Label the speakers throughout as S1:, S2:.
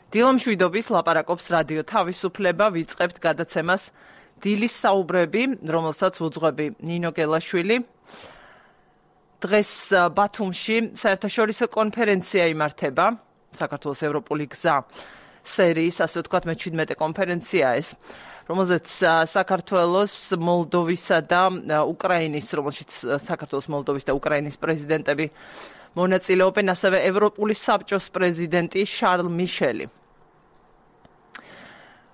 S1: დილომშვიდობის ლაპარაკობს რადიო თავისუფლება, ვიწყებთ გადაცემას დილის საუბრები, რომელსაც უძღვები ნინო გელაშვილი. დღეს ბათუმში საერთაშორისო კონფერენცია იმართება, საქართველოს ევროპული გზა სერიის, ასე ვთქვათ, მე-17 კონფერენცია ეს, რომელზეც საქართველოს, მოლდოვისა და უკრაინის, რომელშიც საქართველოს, მოლდოვის და უკრაინის პრეზიდენტები მონაწილეობენ, ასევე ევროპული საბჭოს პრეზიდენტი შარლ მიშელი.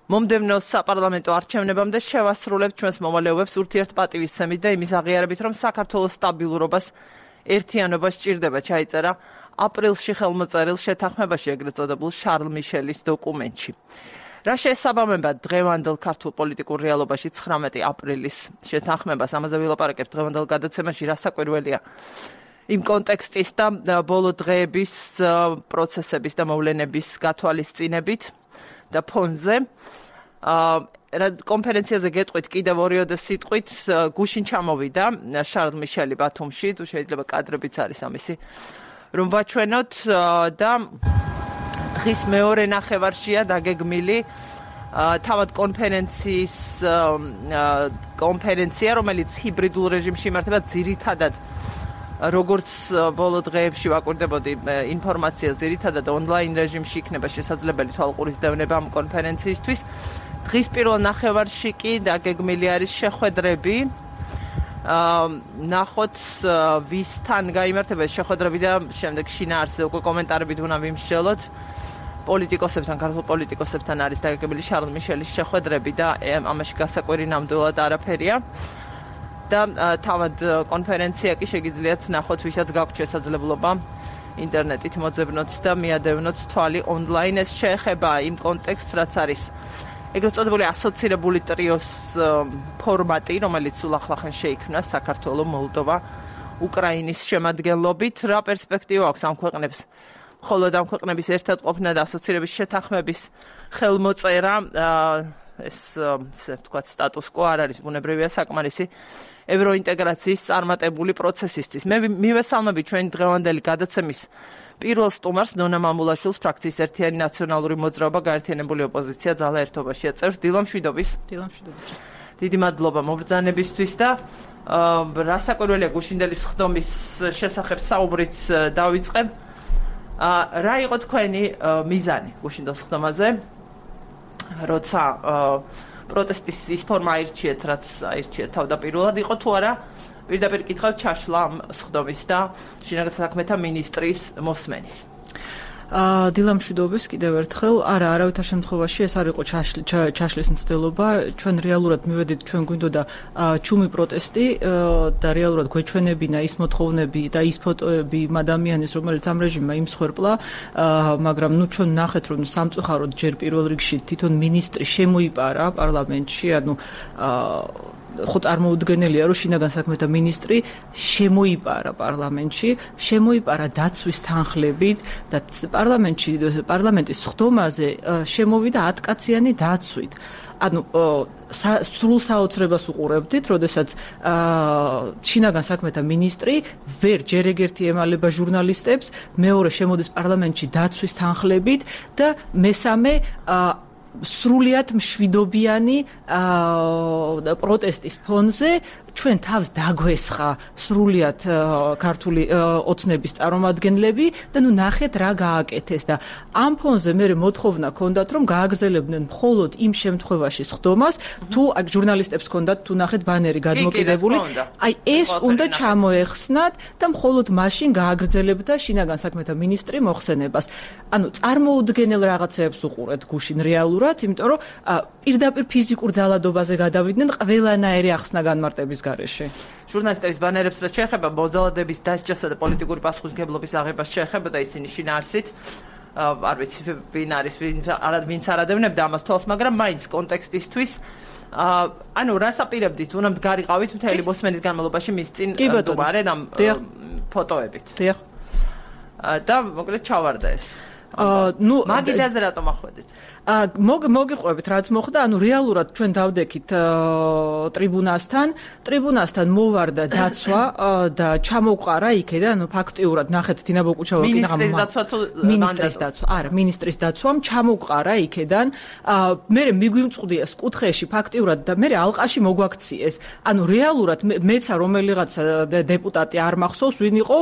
S1: მომდევნო საპარლამენტო არჩევნებამდე შევასრულებთ ჩვენს მოვალეობებს ურთიერთპატივისცემით და იმის აღიარებით, რომ საქართველოს სტაბილურობას, ერთიანობას სჭირდება, ჩაიწერა აპრილში ხელმოწერილ შეთანხმებაში, ეგრეთ წოდებულ შარლ მიშელის დოკუმენტში. რა შეესაბამება დღევანდელ ქართულ პოლიტიკურ რეალობაში 19 აპრილის შეთანხმებას, ამაზე ვილაპარაკებთ დღევანდელ გადაცემაში, რა საკვირველია იმ კონტექსტის და ბოლო დღეების პროცესების და მოვლენების გათვალისწინებით და ფონზე. კონფერენციაზე გეტყვით კიდევ 2 სიტყვით, გუშინ ჩამოვიდა შარლ მიშელი ბათუმში, თუ შეიძლება კადრებიც არის ამისი, რომ ვაჩვენოთ და დღის მეორე ნახევარშია დაგეგმილი თავად კონფერენცია, რომელიც ჰიბრიდულ რეჟიმში იმართება, ძირითადად როგორც ბოლო დღეებში ვაკვირდებოდი ინფორმაცია, ძირითადად ონლაინ რეჟიმში იქნება შესაძლებელი თვალყურის დევნება ამ კონფერენციისთვის. დღის პირველ ნახევარში კი დაგეგმილი არის შეხვედრები. ნახოთ ვისთან გაიმართება ეს შეხვედრები და შემდეგ შინაარსზე უკვე კომენტარებით უნდა ვიმსჯელოთ. პოლიტიკოსებთან, ქართულ პოლიტიკოსებთან არის დაგეგმილი შარლ მიშელის შეხვედრები და ამაში გასაკვირი ნამდვილად არაფერია. და თავად კონფერენცია კი შეგიძლიათ ნახოთ, ვისაც გაქვთ შესაძლებლობა ინტერნეტით მოძებნოთ და მიადევნოთ თვალი ონლაინ. ეს შეეხება იმ კონტექსტს, რაც არის ეგრეთ წოდებული ასოცირებული ტრიოს ფორმატი, რომელიც სულ ახლახან შეიქმნა საქართველოს, მოლდოვა, უკრაინის შემადგენლობით. რა პერსპექტივა აქვს ამ ქვეყნებს? მხოლოდ ამ ქვეყნების ერთად ყოფნა და ასოცირების შეთანხმების ხელმოწერა, ეს ვთქვათ, სტატუს კო არ არის ბუნებრივია საკმარისი ევროინტეგრაციის წარმატებული პროცესისთვის. მე მივესალმები ჩვენი დღევანდელი გადაცემის პირველ სტუმარს, ნონა მამულაშვილს, ფრაქციის ერთიანი ნაციონალური მოძრაობა, გაერთიანებული ოპოზიცია, ძალა ერთობაშია წევრს. დილომშვიდობის.
S2: დილომშვიდობის.
S1: დიდი მადლობა მობრძანებისთვის და რა საკვირველია გუშინდელი სხდომის შესახებ საუბრით დავიწყებ. რა იყო თქვენი მიზანი გუშინდელ სხდომაზე, როცა პროტესტის ის ფორმა აირჩიეთ, რაც აირჩიეთ თავდაპირველად, იყო თუ არა პირდაპირ კითხავ ჩაშლა ამ სხდომის და შინაგან საქმეთა მინისტრის მოსმენის.
S2: დილამშვიდობის კიდევ ერთხელ, არავითარ შემთხვევაში ეს არ იყო ჩაშლის მცდელობა. ჩვენ რეალურად მივედით, ჩვენ გვინდოდა ჩუმი პროტესტი და რეალურად გვეჩვენებინა ის მოთხოვნები და ის ფოტოები იმ ადამიანის, რომელიც ამ რეჟიმმა იმსხვერპლა, მაგრამ ჩვენ ნახეთ, რომ სამწუხაროდ ჯერ პირველ რიგში თვითონ მინისტრი შემოიპარა პარლამენტში, ანუ ხო წარმოუდგენელია, რომ შინაგან საქმეთა მინისტრი შემოიპარა პარლამენტში, შემოიპარა დაცვის თანხლებით და პარლამენტის სხდომაზე შემოვიდა 10 კაციანი დაცვით. ანუ სრულ საოცრებას უყურებდით, როდესაც შინაგან საქმეთა მინისტრი ჯერ ეგერთი ემალება ჟურნალისტებს, მეორე შემოდის პარლამენტში დაცვის თანხლებით და მესამე სრულიად მშვიდობიანი პროტესტის ფონზე ჩვენ თავს დაგვესხა სრულიად ქართული ოცნების წარმომადგენლები და ნუ ნახეთ რა გააკეთეს და ამ ფონზე მე მოთხოვნა ჰქონდათ რომ გააგრძელებდნენ მხოლოდ იმ შემთხვევაში სხდომას თუ აქ ჟურნალისტებს ჰქონდათ თუ ნახეთ ბანერი გადმოკიდებული აი ეს უნდა ჩამოეხსნათ და მხოლოდ მაშინ გააგრძელებდა შინაგან საქმეთა მინისტრი მოხსენებას. ანუ წარმოუდგენელ რაღაცებს უყურეთ გუშინ რეალურად, იმიტომ რომ პირდაპირ ფიზიკურ ძალადობაზე გადავიდნენ ყველანაირი ახსნა განმარტების გარეშე.
S1: ჟურნალისტების ბანერებს რაც შეეხება მოძალადების დასჯასა და პოლიტიკური პასუხისმგებლობის აღებას შეეხება და ისინი შინაარსით არ ვიცი ვინ არის ვინც არ ადევნებდა ამას თვალს, მაგრამ მაინც კონტექსტისთვის ანუ რას აპირებდით, უნდა მდგარიყავით მთელი მოსმენის განმავლობაში მის წინ მდგარი ამ ფოტოებით.
S2: დიახ.
S1: და მოკლედ ჩავარდა ეს.
S2: ნუ
S1: მაგიდაზე რატომ ახვედით?
S2: მოგიყვებით რაც მოხდა, ანუ რეალურად ჩვენ დავდექით ტრიბუნასთან მოვარდა დაცვა და ჩამოვყარა იქიდან, ანუ ფაქტიურად ნახეთ დინა ბოკუჩავა მინისტრის დაცვამ ჩამოვყარა იქიდან. მე მიგვიმწყდია კუთხეში ფაქტიურად და მე ალყაში მოგვაქციეს. ანუ რეალურად მეცა რომელიღაცა დეპუტატი არ მახსოვს, ვინ იყო,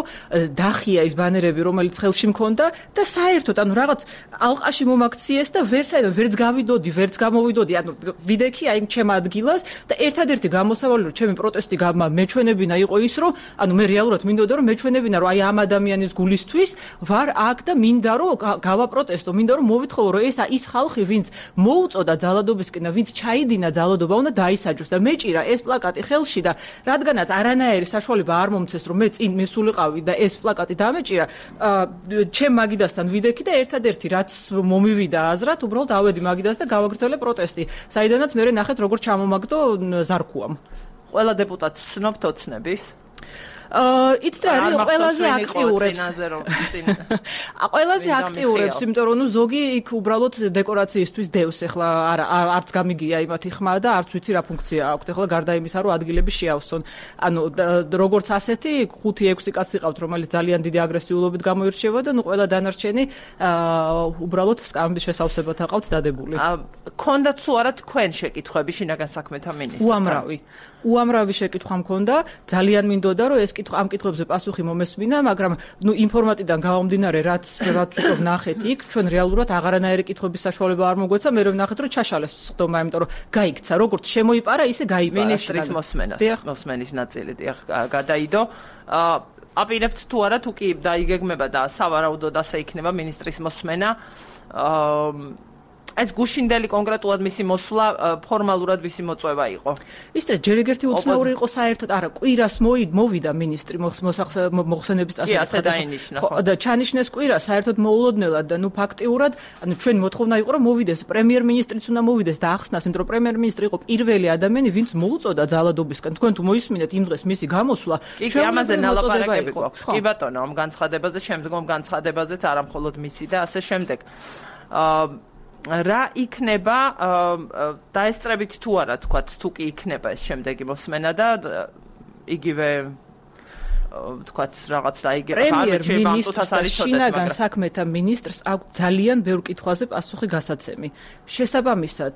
S2: დახია ის ბანერები, რომელიც ხელში მქონდა და საერთოდ ანუ რაღაც ალყაში მომაქციეს და ვერც გავიდოდი, ვერც გამოვიდოდი, ანუ ვიდექი აი ჩემ ადგილას და ერთადერთი გამოსავალი რომ ჩემი პროტესტი მეჩვენებინა იყო ის რომ ანუ მე რეალურად მინდოდა რომ მეჩვენებინა რომ აი ამ ადამიანის გულისთვის ვარ აქ და მინდა რომ გავაპროტესტო, მინდა რომ მოვითხოვო რომ ეს ის ხალხი ვინც მოუწოდა ძალადობისკენ და ვინც ჩაიდინა ძალადობა უნდა დაისაჯოს და მეჭირა ეს პლაკატი ხელში და რადგანაც არანაირი საშუალება არ მომცეს რომ მე წინ მისულიყავი და ეს პლაკატი დამეჭირა ჩემ მაგიდასთან ვიდექი და ერთადერთი რაც მომივიდა აზრად უბრალოდ ავედი მაგიდას და გავაგრძელე პროტესტი საიდანაც მე ნახეთ როგორ ჩამომაგდო ზარქუამ
S1: ყველა დეპუტატს სნობთ ოცნების
S2: იცით რა არის ყველაზე აქტიურებს იმიტომ რომ ზოგი იქ უბრალოდ დეკორაციისთვის დევს ეხლა არც გამიგია იმათი ხმა და არც ვიცი რა ფუნქცია აქვს ეხლა გარდა იმისა რომ ადგილები შეავსონ ანუ როგორც ასეთი 5-6 კაცი ყავთ რომელიც ძალიან დიდი აგრესიულობით გამოირჩევა და ნუ ყველა დანარჩენი უბრალოდ სკამების შესავსებად აყავთ დადებული
S1: ქონდათ თუ არა თქვენ შეკითხვები შინაგან საქმეთა მინისტრთან
S2: უამრავი შეკითხვა მქონდა ძალიან მინდოდა რომ ეს ამ კითხვებზე პასუხი მომესმინა, მაგრამ ნუ ინფორმატიდან გამომდინარე, რაც უკვე ვნახეთ იქ, ჩვენ რეალურად აღარანაირი კითხვების საშუალება არ მოგვეცა, მე რომ ვნახეთ, რომ ჩაშალეს ხდომა, იმიტომ რომ გაიქცა, როგორც შემოიპარა, ისე გაიპარა.
S1: მინისტრის მოსმენის ნაწილი გადაიდო. აპირებთ თუ არა, თუ კი დაიგეგმება და სავარაუდოდ ასე იქნება მინისტრის მოსმენა. ეს გუშინდელი კონკრეტულად მისი მოსვლა ფორმალურად ვისი მოწვევა იყო.
S2: ისე ჯერ ეგერთი უცნაური იყო საერთოდ, არა, კვირას მოვიდა მინისტრი მოხსენების წასაკითხად და ჩანიშნეს კვირა საერთოდ მოულოდნელად და ნუ ფაქტიურად, ანუ ჩვენ მოთხოვნა იყო რომ მოვიდეს პრემიერ-მინისტრიც უნდა მოვიდეს და ახსნას, იმიტომ რომ პრემიერ-მინისტრი იყო პირველი ადამიანი, ვინც მოუწოდა ძალადობისკენ. თქვენ თუ მოისმინეთ იმ დღეს მისი გამოსვლა,
S1: ჩვენ ამაზე ნალაპარაკები გვაქვს. კი ბატონო, ამ განცხადებაზე, შემდგომ განცხადებაზეც არა მხოლოდ მისი და ასე შემდეგ. რა იქნება დაესწრებით თუ არა თქვათ თუ კი იქნება ეს შემდეგი მოსმენა და იგივე თქვათ რაღაც დაიგება
S2: პრემიერ-მინისტრს შინაგან საქმეთა მინისტრს აქვს ძალიან ბევრ კითხვაზე პასუხი გასაცემი. შესაბამისად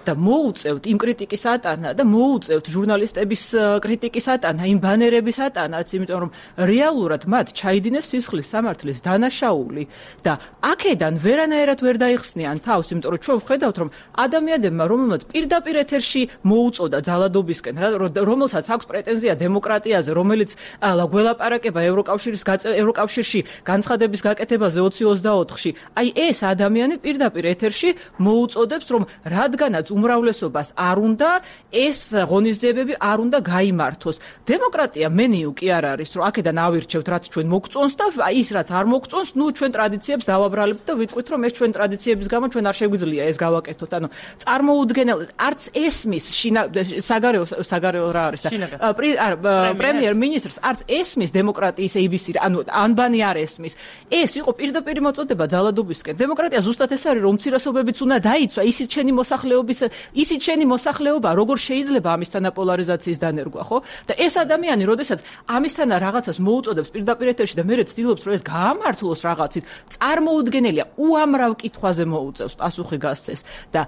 S2: და მოუწევთ იმ კრიტიკის ატანა და მოუწევთ ჟურნალისტების კრიტიკის ატანა, იმ ბანერების ატანაც, იმიტომ რომ რეალურად მათ ჩაიდინეს სისხლის სამართლის დანაშაული და აქედან ვერანაირად ვერ დაიხსნიან თავს, იმიტომ რომ ჩვენ ვხედავთ რომ ადამიანებმა რომელმაც პირდაპირ ეთერში მოუწოდა ძალადობისკენ, რომელსაც აქვს პრეტენზია დემოკრატიაზე, რომელიც გველაპარაკება ევროკავშირში განცხადების გაკეთებაზე 2024-ში. აი ეს ადამიანი პირდაპირ ეთერში მოუწოდებს, რომ რადგანაც უმრავლესობას არ უნდა ეს ღონისძიებები არ უნდა გაიმართოს. დემოკრატია მენიუ კი არ არის, რომ აქედან ავირჩევთ, რაც ჩვენ მოგწონს და ის რაც არ მოგწონს, ნუ ჩვენ ტრადიციებს დავაბრალებთ და ვიტყვით, რომ ეს ჩვენ ტრადიციების გამო ჩვენ არ შეგვიძლია ეს გავაკეთოთ. ანუ წარმოუდგენელ არც ესმის საგარეო რა არის და პრემიერ-მინისტრს არც ესმის დემოკრატიის ABC, ანუ ანბანი არ ესმის. ეს იყო პირდაპირ მოწოდება ძალადობისკენ. დემოკრატია ზუსტად ეს არის, რომ უმცირესობებიც უნდა დაიცვა, ისიც შენი მოსახლეობა, როგორ შეიძლება ამისთანა პოლარიზაციის დანერგვა, ხო? და ეს ადამიანი, როდესაც ამისთანა რაღაცას მოუწოდებს პირდაპირ ეთერში და მერე ცდილობს, რომ ეს გაამართლოს რაღაცით, წარმოუდგენელია, უამრავ კითხვაზე მოუწევს პასუხი გასცეს და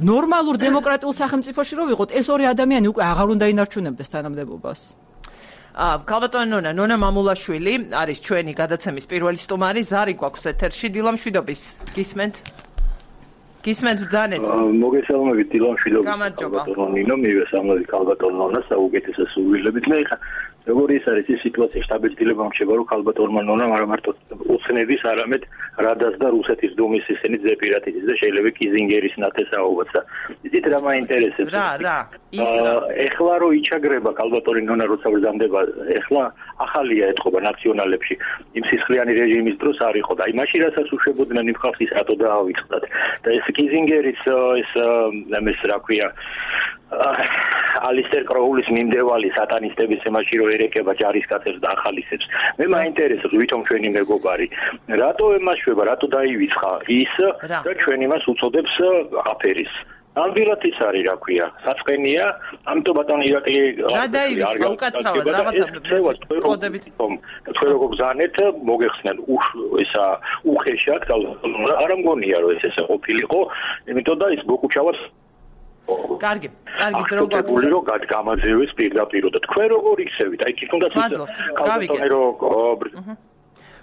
S2: ნორმალურ დემოკრატიულ სახელმწიფოში რო ვიყოთ, ეს ორი ადამიანი უკვე აღარ უნდა ინარჩუნებდეს თანამდებობას.
S1: ქალბატონო ნონა მამულაშვილი არის ჩვენი გადაცემის პირველი სტუმარი, ზარი გვაქვს ეთერში, დილა მშვიდობის. გისმენთ ბრძანეთ.
S3: მოგესალმებით დილა მშვიდობის. ქალბატონო ნინო, მივესალმებით ქალბატონო ნონა, საუკეთესო სურვილებით. მე ხა როგორი ის არის ეს სიტუაცია შტაბ-დილება მრჩება რომ ქალბატონმა ნონამ არა მარტო უცნების, არამედ რადას და რუსეთის დუმის ისინი ზეპირატის და შეიძლება კიზინგერის ნათესაობაც და იცით რა მაინტერესებს
S1: რა
S3: ეხლა რო იჩაგრება ქალბატონი ნონა როცა ბრძანდება ეხლა ახალია ეთყობა ნაციონალებში იმ სისხლიანი რეჟიმის დროს არ იყო და აი მაშინ რასაც უშვებოდნენ იმ ხალხის რატო დაავიწყდათ და ეს კიზინგერის ეს რა ქვია ალისტერ კროულის მიმდევარი სატანისტების ემაში რო ერეკება ჯარისკაცებს და ახალისებს. მე მაინტერესებს ვითომ ჩვენი მეგობარი რატო ემაშვება, რატო დაივიწყა ის და ჩვენ იმას უწოდებს აფერის. ნამდვილად ის არის, რა ქვია, საწყენია, ამიტომ ბატონო ირაკლი
S1: რა დაივიწყა უკაცრავად რაღაცა კოდებით
S3: თქვენ როგორ გზავნეთ მოგეხსნათ ისა უხეშად არ მგონია რომ ესე ყოფილიყო, იმიტომ და ის ბოკუჩავას
S1: კარგი დრო
S3: გვაქვს რომ გამაძევეს პირდაპირ და თქვენ როგორ იქცევით? აი თუნდაც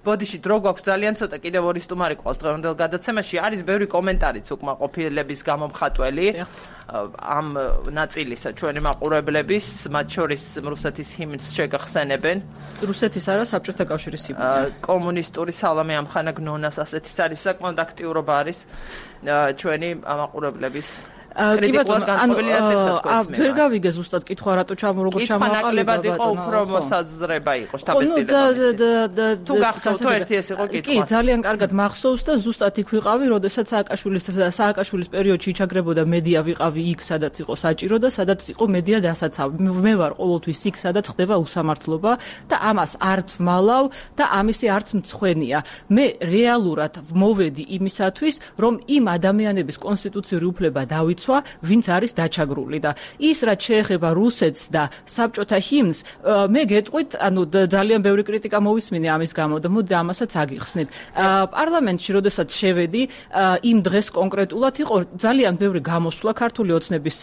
S1: ბოდიში დრო გვაქვს ძალიან ცოტა კიდევ ორი სტუმარი ყავს დღევანდელ გადაცემაში არის ბევრი კომენტარიც უკმაყოფილების გამომხატველი ამ ნაწილისა ჩვენი მაყურებლების მათ შორის რუსეთის ჰიმნს შეგახსენებენ
S2: რუსეთის არა საბჭოთა კავშირის ჰიმნი
S1: კომუნისტური სალამი ამხანა გნონას ასეთის არის საკმაოდ აქტიურობა არის ჩვენი მაყურებლების
S2: კი ბატონო, ვერ გავიგე ზუსტად კითხვა რატო როგორ ჩამოაყალიბა
S1: ბატონო. უფრო მოსაზრება იყო შტაბის თუ გახსოვთ ერთი ეს იყო კითხვა.
S2: კი, ძალიან კარგად მახსოვს და ზუსტად იქ ვიყავი, როდესაც სააკაშვილის პერიოდში იჩაგრებოდა მედია ვიყავი იქ, სადაც იყო საჭირო და სადაც იყო მედია დასაცავი. მე ვარ ყოველთვის იქ, სადაც ხდება უსამართლობა და ამას არც ვმალავ და ამისი არც მცხვენია. მე რეალურად მოვედი იმისათვის, რომ იმ ადამიანების კონსტიტუციური უფლება დავიცვა ვინც არის დაჩაგრული და ის რაც შეეხება რუსეთს და საბჭოთა ჰიმნს მე გეტყვით ანუ ძალიან ბევრი კრიტიკა მოვისმინე ამის გამო და მოდი ამასაც აგიხსნით პარლამენტში როდესაც შევედი იმ დღეს კონკრეტულად იყო ძალიან ბევრი გამოსვლა ქართული ოცნების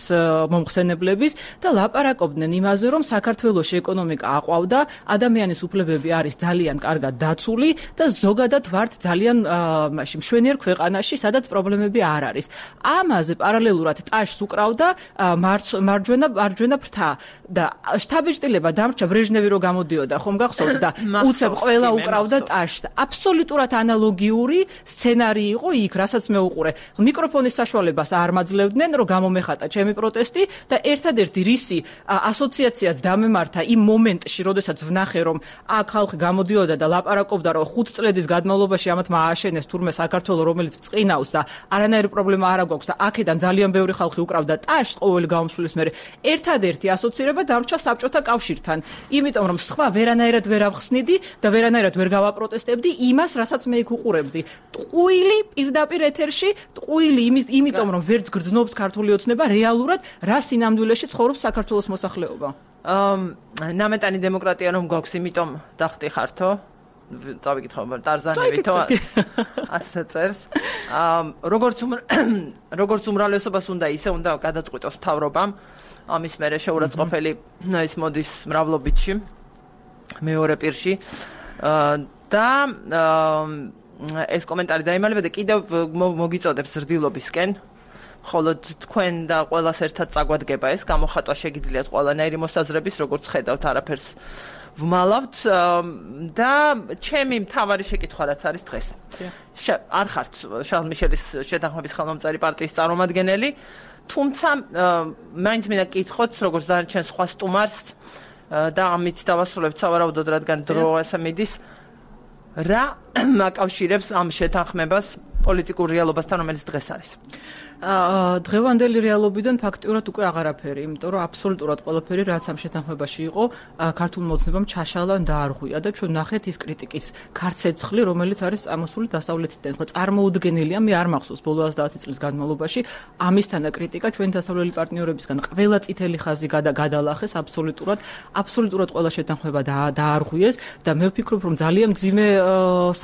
S2: მომხსენებლების და ლაპარაკობდნენ იმაზე რომ საქართველოში ეკონომიკა აყვავდა ადამიანის უფლებები არის ძალიან კარგად დაცული და ზოგადად ვართ ძალიან მაშინ მშვენიერ ქვეყანაში სადაც პრობლემები არ არის ამაზე პარალელურად ტაშს უკრავდა მარჯვენა ფრთა და შთაბეჭდილება დამრჩა ბრეჟნევი რო გამოდიოდა ხომ გახსოვთ და უცებ ყველა უკრავდა ტაშს აბსოლუტურად ანალოგიური სცენარი იყო იქ რასაც მე უყურე მიკროფონის საშუალებას არ მაძლევდნენ რომ გამომეხატა ჩემი პროტესტი და ერთადერთი რისი ასოციაციაც დამემართა იმ მომენტში როდესაც ვნახე რომ აქ ხალხი გამოდიოდა და ლაპარაკობდა რომ 5 წლების განმავლობაში ამათ მააშენეს თურმე საქართველოს რომელიც წინავს და არანაირი პრობლემა არ აქვს და აქედან ძალიან ბევრი ხალხი უკრავდა ტაშს ყოველი გამოსვლის მერე ერთადერთი ასოცირება დამრჩა საბჭოთა კავშირთან იმიტომ რომ სხვა ვერანაირად ვერ ავხსნიდი და ვერანაირად ვერ გავაპროტესტებდი იმას რასაც მე იქ უყურებდი ტყუილი პირდაპირ ეთერში ტყუილი იმიტომ რომ ვერც გრძნობს ქართული ოცნება რეალურად რა სინამდვილეში ცხოვრობს საქართველოს მოსახლეობა
S1: ნამეტანი დემოკრატია რომ გვაქვს იმიტომ დახტიხართო დავიკითხავ ტარზანევითო ასე წერს როგორც უმრავლესობას უნდა ისე უნდა გადაწყვიტოს მთავრობამ ამის მერე შეურაცხყოფელი ის მოდის მრავლობითში მეორე პირში და ეს კომენტარი დაიმალება და კიდევ მოგიწოდებს ზრდილობისკენ ხოლო თქვენ და ყველას ერთად წაგვადგება ეს გამოხატვა შეგიძლიათ ყველანაირი მოსაზრების როგორც ხედავთ არაფერს ვმალავთ და ჩემი მთავარი შეკითხვა რაც არის დღეს. არ ხართ შარლ მიშელის შეთანხმების ხელმომწერი პარტიის წარმომადგენელი, თუმცა მაინც მინდა გკითხოთ როგორც დანარჩენ სხვა სტუმარს და ამით დავასრულებთ სავარაუდოდ რადგან დრო ასე მიდის რა აკავშირებს ამ შეთანხმებას პოლიტიკურ რეალობასთან რომელიც დღეს არის.
S2: დღევანდელი რეალობიდან ფაქტიურად უკვე აღარაფერი, იმიტომ რომ აბსოლუტურად ყველაფერი რაც ამ შეთანხმებაში იყო, ქართულ მოცნებამ ჩაშალა და არღვია და ჩვენ ნახეთ ის კრიტიკის ქარცეცხლი, რომელიც არის წამოსული დასავლეთიდან. ხო, წარმოუდგენელია, მე არ მახსოვს ბოლო 110 წლის განმავლობაში ამისთანა კრიტიკა ჩვენ დასავლელი პარტნიორებისგან ყველა წითელი ხაზი გადალახეს აბსოლუტურად ყველა შეთანხმება დაარღვიეს და მე ვფიქრობ, რომ ძალიან მძიმე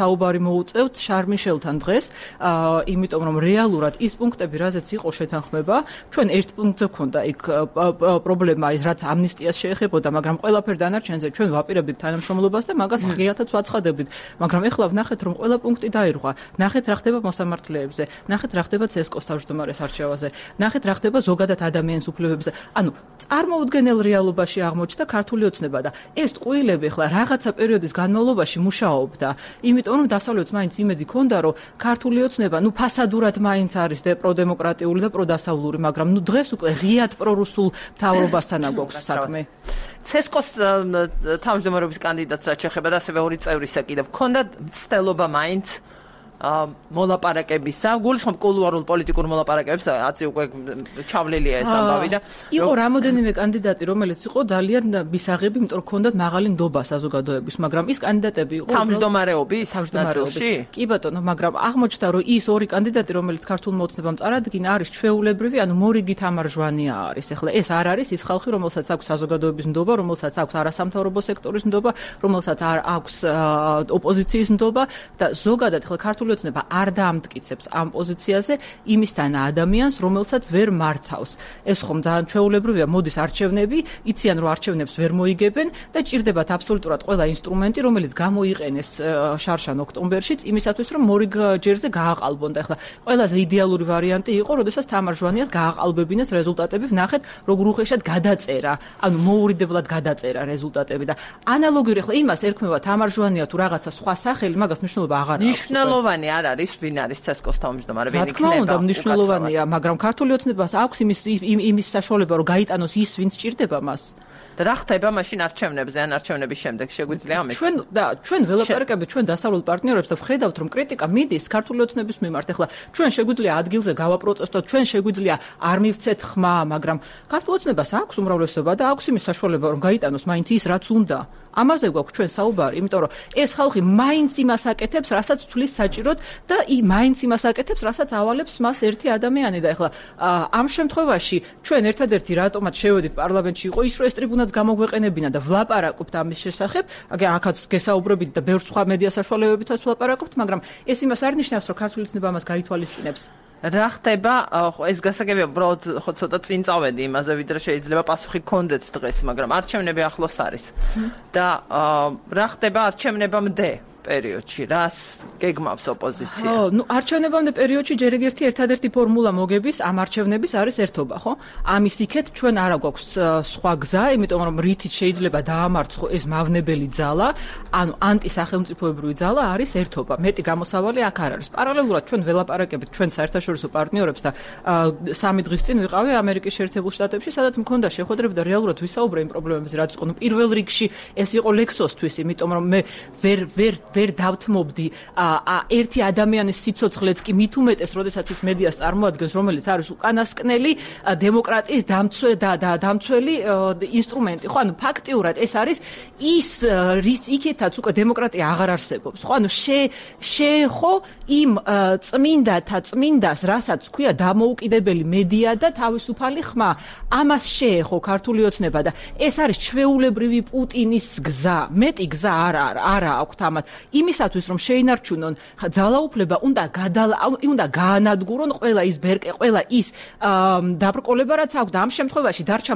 S2: საუბარი მოუწევთ შარლ მიშელთან დღეს, იმიტომ რომ რეალურად ის პუნქტები რაზეც იყო შეთანხმება, ჩვენ ერთ პუნქტზე გვქონდა იქ პრობლემა, რაც ამნისტიას შეეხებოდა, მაგრამ ყველაფერ დანარჩენზე ჩვენ ვაპირებდით თანამშრომლობას და მაგას ღიათაც ვაცხადებდით. მაგრამ ეხლა ვნახეთ, რომ ყველა პუნქტი დაირღვა. ნახეთ, რა ხდება მოსამართლეებზე, ნახეთ, რა ხდება CSKO-ს თავმჯდომარის არჩევაზე, ნახეთ, რა ხდება ზოგადად ადამიანის უფლებებზე. ანუ წარმოუდგენელ რეალობაში აღმოჩნდა ქართული ოცნება და ეს ტყუილები ეხლა რაღაცა პერიოდის განმავლობაში მუშაობდა, იმიტომ რომ დასავლეთს მაინც იმედი ჰქონდა, რომ ქართული ოცნება, ფასადურად მაინც არის პროდემოკრატიული და პროდასავლური, მაგრამ დღეს უკვე ღიად პრორუსულ მთავრობასთან აგვაქვს საქმე.
S1: CSKO-ს თავმჯდომარეობის კანდიდატს რაც შეეხება და ასევე ორი წევრისა კიდევ ჰქონდა მცდელობა მაინც მოლაპარაკებისა, გულისხმობ კულუარულ პოლიტიკურ მოლაპარაკებებს, აცი უკვე ჩავლილია ეს ამბავი და
S2: იყო რამოდენიმე კანდიდატი, რომელიც იყო ძალიან მისაღები, იმიტომ რომ ჰქონდათ მაღალი ნდობა საზოგადოების, მაგრამ ის კანდიდატები იყო
S1: თავმჯდომარეობის.
S2: კი ბატონო, მაგრამ აღმოჩნდა, რომ ის ორი კანდიდატი, რომელიც ქართულმა ოცნებამ წარადგინა, არის ჩვეულებრივი, ანუ მორიგი თამარჟვანია არის. ეხლა ეს არ არის ის ხალხი, რომელსაც აქვს საზოგადოების ნდობა, რომელსაც აქვს არასამთავრობო სექტორის ნდობა, რომელსაც აქვს ოპოზიციის ნდობა და ზოგადად ეხლა ქართული ოცნება არ დაამტკიცებს ამ პოზიციაზე იმისთან ადამიანს, რომელსაც ვერ მართავს. ეს ხომ ძალიან ჩვეულებრივია, მოდის არჩევნები, იციან რომ არჩევნებს ვერ მოიგებენ და ჭირდებათ აბსოლუტურად ყველა ინსტრუმენტი, რომელიც გამოიყენეს შარშან ოქტომბერშიც იმისათვის, რომ მორიგ ჯერზე გააყალბონ და ეხლა ყველაზე იდეალური ვარიანტი იყო, როდესაც თამარ ჟვანიას გააყალბებინეს რეზულტატები, ვნახეთ როგორ უხეშად გადაწერა, ანუ მოურიდებლად გადაწერა რეზულტატები და ანალოგიური ეხლა იმას ერქმევა თამარ ჟვანია თუ რაღაცა სხვა სახელი, მაგას მნიშვნელობა აღარ აქვს.
S1: მნიშვნელოვანი არ არის, ვინ არის ცესკოს თავმჯდომარე, ვინ იქნება.
S2: რა თქმა უნდა, მნიშვნელოვანია, მაგრამ ქართული ოცნებას აქვს იმის საშუალება, რომ გაიტანოს ის, ვინც ჭირდება მას.
S1: და რა ხდება მაშინ არჩევნებზე, ან არჩევნების შემდეგ შეგვიძლია ამით?
S2: ჩვენ ველაპარაკებთ ჩვენ დასავლელ პარტნიორებს და ვხედავთ, რომ კრიტიკა მიდის ქართული ოცნების მიმართ. ეხლა ჩვენ შეგვიძლია ადგილზე გავაპროტესტოთ, ჩვენ შეგვიძლია არ მივცეთ ხმა, მაგრამ ქართული ოცნებას აქვს უმრავლესობა და აქვს იმის საშუალება, რომ გაიტანოს მაინც ის, რაც უნდა. ამაზე გვაქვს ჩვენ საუბარი, იმიტომ რომ ეს ხალხი მაინც იმას აკეთებს, რასაც თulis საჭიროდ და მაინც იმას აკეთებს, რასაც ავალებს მას ერთი ადამიანი და ეხლა ამ შემთხვევაში ჩვენ ერთადერთი რატომაც შევედით პარლამენტში იყო ის, რომ ეს ტრიბუნაც გამოგვეყენებინა და ვლაპარაკობთ ამის შესახებ, აქაც გესაუბრებით და ბევრ სხვა მედია საშუალებებითაც ვლაპარაკობთ, მაგრამ ეს იმას არ ნიშნავს, რომ ქართული ოცნება ამას გაითვალისწინებს.
S1: რა ხდება, ეს გასაგებია, უბრალოდ ხო ცოტა წინ წავედი იმაზე, ვიდრე შეიძლება პასუხი გქონდეთ დღეს, მაგრამ არჩევნები ახლოს არის. და რა ხდება არჩევნებამდე პერიოდში, რას გეგმავს ოპოზიცია?
S2: ნუ არჩევნებამდე პერიოდში ჯერ ერთი ერთადერთი ფორმულა მოგების ამ არჩევნების არის ერთობა, ხო? ამის იქეთ ჩვენ არა გვაქვს სხვა გზა, იმიტომ რომ რითიც შეიძლება დაამარცხო ეს მავნებელი ძალა, ანუ ანტისახელმწიფოებრივი ძალა არის ერთობა. მეტი გამოსავალი აქ არ არის. პარალელურად ჩვენ ველაპარაკებით ჩვენ საერთაშორისო პარტნიორებს და 3 დღის წინ ვიყავი ამერიკის შეერთებულ შტატებში, სადაც მქონდა შეხვედრები და რეალურად ვისაუბრე იმ პრობლემებზე, რაც იყო. ნუ პირველ რიგში ეს იყო ლექსოსთვის, იმიტომ რომ მე ვერ დავთმობდი ერთი ადამიანის სიცოცხლეც კი მით უმეტეს, როდესაც ის მედიას წარმოადგენს, რომელიც არის უკანასკნელი დემოკრატიის დამცველი ინსტრუმენტი. ხო, ანუ ფაქტიურად ეს არის ის რის იქითაც უკვე დემოკრატია აღარ არსებობს. ხო, ანუ შეეხო იმ წმინდას, რასაც ქვია დამოუკიდებელი მედია და თავისუფალი ხმა. ამას შეეხო ქართული ოცნება და ეს არის ჩვეულებრივი პუტინის გზა. მეტი გზა არა აქვთ ამათ. იმისათვის რომ შეინარჩუნონ ძალაუფლება, უნდა გაანადგურონ ყველა ის ბერკე, ყველა ის დაბრკოლება, რაც აქვს და ამ შემთხვევაში დარჩა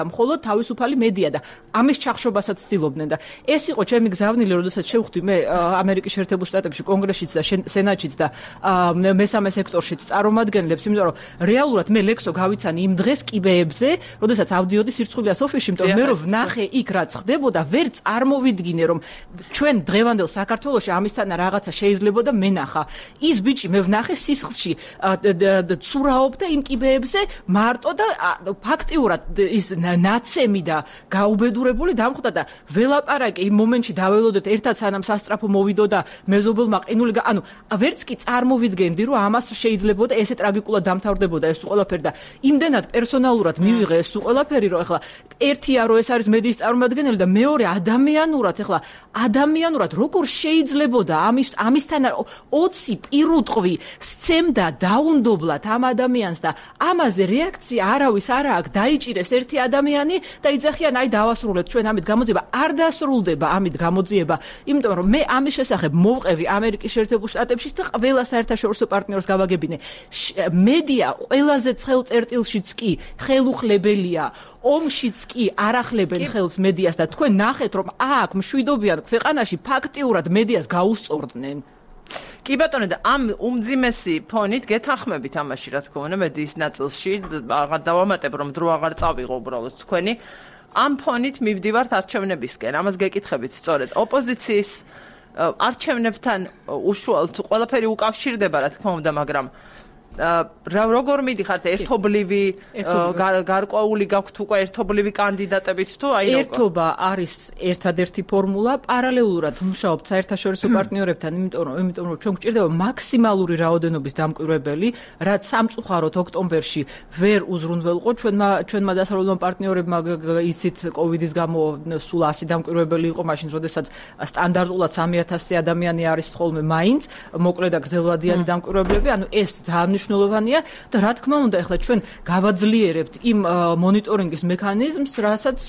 S2: მხოლოდ თავისუფალი მედია და ამის ჩახშობასაც ცდილობდნენ და ეს იყო ჩემი გზავნილი, როდესაც შევხვდი მე ამერიკის შეერთებულ შტატებში კონგრესშიც და სენატშიც და მესამე სექტორშიც წარმომადგენლებს, იმიტომ რომ რეალურად მე ლექსო გავიცანი იმ დღეს კიბეებზე, როდესაც ავდიოდი სირცხვილიას ოფისში, იმიტომ რომ მე რომ ვნახე იქ რაც ხდებოდა, ვერ წარმოვიდგინე რომ ჩვენ დღევანდელ საქართველოში ამისთან რაღაცა შეიძლებოდა მენახა. ის ბიჭი მე ვნახე სისხლში ცურაობდა იმ კიბეებზე მარტო და ფაქტიურად ის ნაცემი და გაუბედურებული დამხვდა და ველაპარაკე იმ მომენტში დაველოდეთ ერთად სანამ სასტრაფო მოვიდო და მეზობელმა ყინული ანუ ვერც კი წარმოვიდგენდი რომ ამას შეიძლებოდა ესე ტრაგიკულად დამთავრდებოდა ეს ყველაფერი და იმდენად პერსონალურად მივიღე ეს ყველაფერი რომ ეხლა ერთია რომ ეს არის მედიის წარმომადგენელი და მეორე ადამიანურად როგორ შეიძლებოდა ამისთან 20 პირუტყვი სცემდა დაუნდობლად ამ ადამიანს და ამაზე რეაქცია არავის არ აქვს დაიჭირეს ერთი ადამიანი და იძახიან აი დავასრულეთ ჩვენ ამით გამოძიება არ დასრულდება ამით გამოძიება იმიტომ რომ მე ამის შესახებ მოვყევი ამერიკის შეერთებულ შტატებში და ყველა საერთაშორისო პარტნიორს გავაგებინე მედია ყველაზე ცხელ წერტილშიც კი ხელუხლებელია ომშიც კი არ ახლებენ ხელს მედიას და თქვენ ნახეთ რომ აქ მშვიდობიან ქვეყანაში ფაქტიურად მედიას გაუსწორდნენ
S1: კი ბატონო და ამ უმძიმესი ფონით გეთანხმებით ამაში რა თქმა უნდა მედიის ნაწილში აღარ დავამატებ რომ დრო აღარ წავიღო უბრალოდ თქვენი ამ ფონით მივდივართ არჩევნებისკენ ამას გეკითხებით სწორედ ოპოზიციის არჩევნებთან უშუალოდ ყველაფერი უკავშირდება რა თქმა უნდა მაგრამ როგორ მიდიხართ ერთობლივი გარკვეული გაქვთ უკვე ერთობლივი კანდიდატებით თუ აი როგორ?
S2: ერთობა არის ერთადერთი ფორმულა, პარალელურად მუშაობთ საერთაშორისო პარტნიორებთან, იმიტომ რომ ჩვენ გვჭირდება მაქსიმალური რაოდენობის დამკვირვებელი, რაც სამწუხაროდ ოქტომბერში ვერ უზრუნველყო. ჩვენმა დასავლელმა პარტნიორებმა იცით კოვიდის გამო სულ 100 დამკვირვებელი იყო მაშინ, როდესაც სტანდარტულად 3000 ადამიანი არის ხოლმე მაინც, მოკლედ და გრძელვადიანი დამკვირვებლები, ანუ ეს ძალიან მნიშვნელოვანია და რა თქმა უნდა, ახლა ჩვენ გავაძლიერებთ იმ მონიტორინგის მექანიზმს, რასაც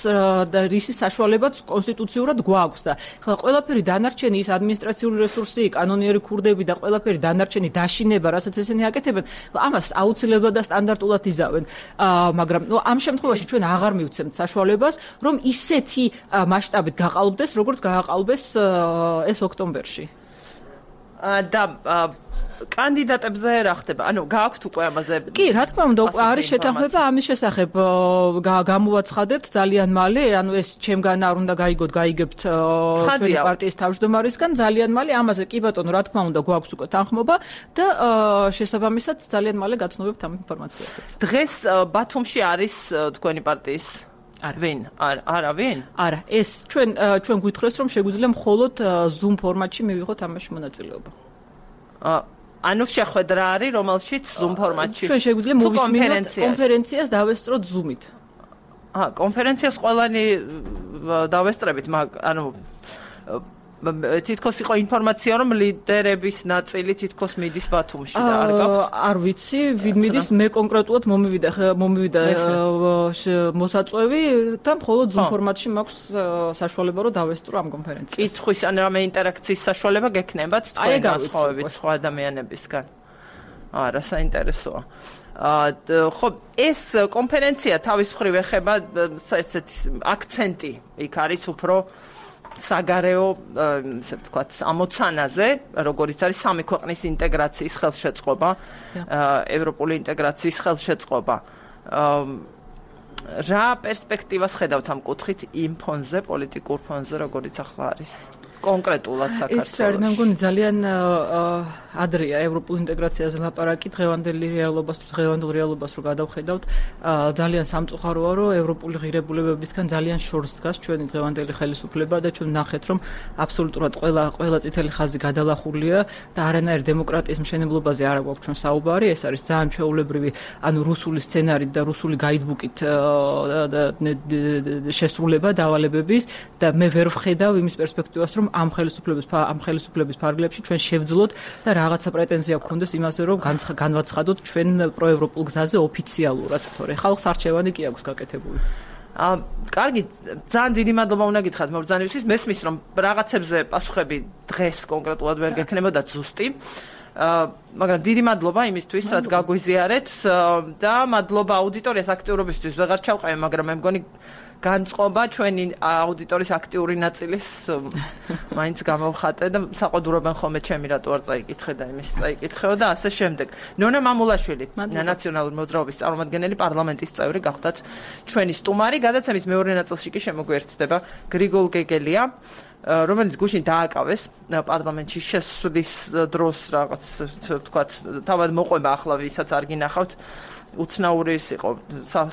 S2: და რისი საშუალებაც კონსტიტუციურად გვაქვს და ახლა ყველაფერი დანარჩენი ის ადმინისტრაციული რესურსი, კანონიერი ქურდები და ყველაფერი დანარჩენი დაშინება, რასაც ესენი აკეთებენ, ამას აუცილებლად და სტანდარტულად იზავენ. მაგრამ ამ შემთხვევაში ჩვენ აღარ მივცემთ საშუალებას, რომ ისეთი მასშტაბით გაყალბდეს, როგორც გააყალბეს ეს ოქტომბერში.
S1: და კანდიდატებზე რა ხდება? ანუ გააქვთ უკვე ამაზე?
S2: კი, რა თქმა უნდა, უკვე არის შეთანხმება ამის შესახებ. გამოვაცხადებთ ძალიან მალე, ანუ ეს ჩემგან არ უნდა გაიგოთ, გაიგებთ ჩვენი პარტიის თავმჯდომარისგან ძალიან მალე. ამაზე კი ბატონო, რა თქმა უნდა, გვაქვს უკვე თანხმობა და შესაბამისად ძალიან მალე გაცნობებთ ამ ინფორმაციასაც.
S1: დღეს ბათუმში არის თქვენი პარტიის ვინ? ვინ?
S2: არა, ეს ჩვენ გვითხრეს, რომ შეგვიძლია მხოლოდ Zoom ფორმატში მივიღოთ ამაში მონაწილეობა.
S1: ანუ შეხვედრა არის, რომელშიც Zoom ფორმატში.
S2: ჩვენ შეგვიძლია მოვისმინოთ კონფერენციას დავესწროთ Zoom-ით.
S1: კონფერენციას ყველანი დავესწრებით, ანუ თითქოს იყო ინფორმაცია, რომ ლიდერების ნაწილი თითქოს მიდის ბათუმში და არ გაქვთ?
S2: არ ვიცი, ვინ მიდის, მე კონკრეტულად მომივიდა მოსაწვევი და მხოლოდ Zoom ფორმატში მაქვს საშუალება, რომ დავესწრო ამ კონფერენციას.
S1: კითხვის ან რამე ინტერაქციის საშუალება გექნებათ თქვენ განსხვავებით სხვა ადამიანებისგან? არა, საინტერესოა. ხო, ეს კონფერენცია თავის მხრივ ეხება ესეთი აქცენტი იქ არის უფრო საგარეო, ესე ვთქვათ, ამოცანაზე, როგორიც არის სამი ქვეყნის ინტეგრაციის ხელშეწყობა, ევროპული ინტეგრაციის ხელშეწყობა. რა პერსპექტივას ხედავთ ამ კუთხით იმ ფონზე, პოლიტიკურ ფონზე, როგორიც ახლა არის? კონკრეტულად საქართველოს.
S2: ეს არის, მე მგონი ძალიან ადრეა ევროპული ინტეგრაციაზე ლაპარაკი, დღევანდელ რეალობას რო გადავხედავთ, ძალიან სამწუხაროა, რომ ევროპული ღირებულებებისგან ძალიან შორს დგას ჩვენი დღევანდელი ხელისუფლება და ჩვენ ნახეთ, რომ აბსოლუტურად ყველა წითელი ხაზი გადალახულია და არანაირ დემოკრატიის მშენებლობაზე არ აქვს ჩვენ საუბარი, ეს არის ძალიან ჩვეულებრივი, ანუ რუსული სცენარით და რუსული გაიდბუკით შესრულება დავალებების და მე ვერ ვხედავ იმის პერსპექტივას, რომ ამ ხელისუფლების ფარგლებში ჩვენ შევძლოთ და რაღაცა პრეტენზია გქონდეს იმაზე, რომ განვაცხადოთ ჩვენ პროევროპულ გზაზე ოფიციალურად, თორე ხალხს არჩევანი კი აქვს გაკეთებული.
S1: კარგი, ძალიან დიდი მადლობა უნდა გითხრათ მობრძანებისთვის. მესმის, რომ რაღაცებზე პასუხები დღეს კონკრეტულად ვერ გექნებოდა ზუსტი. მაგრამ დიდი მადლობა იმისთვის, რაც გაგვიზიარეთ და მადლობა აუდიტორიას აქტიურობისთვის. ვეღარ ჩავყევი, მაგრამ მე მგონი განწყობა ჩვენი აუდიტორიის აქტიური ნაწილის მაინც გამოვხატე და საყოდურობენ ხოლმე ჩემი რატო არ წაიკითხე და იმის წაიკითხეო და ასე შემდეგ. ნონა მამულაშვილი, ნაციონალური მოძრაობის წარმომადგენელი, პარლამენტის წევრი გახდათ ჩვენი სტუმარი. გადაცემის მეორე ნაწილში კი შემოგვიერთდება გრიგოლ გეგელია, რომელიც გუშინ დააკავეს პარლამენტში შესვლის დროს რაღაც თქვათ თავად მოყვება ახლა ვისაც არ გინახავთ უცნაური ის იყო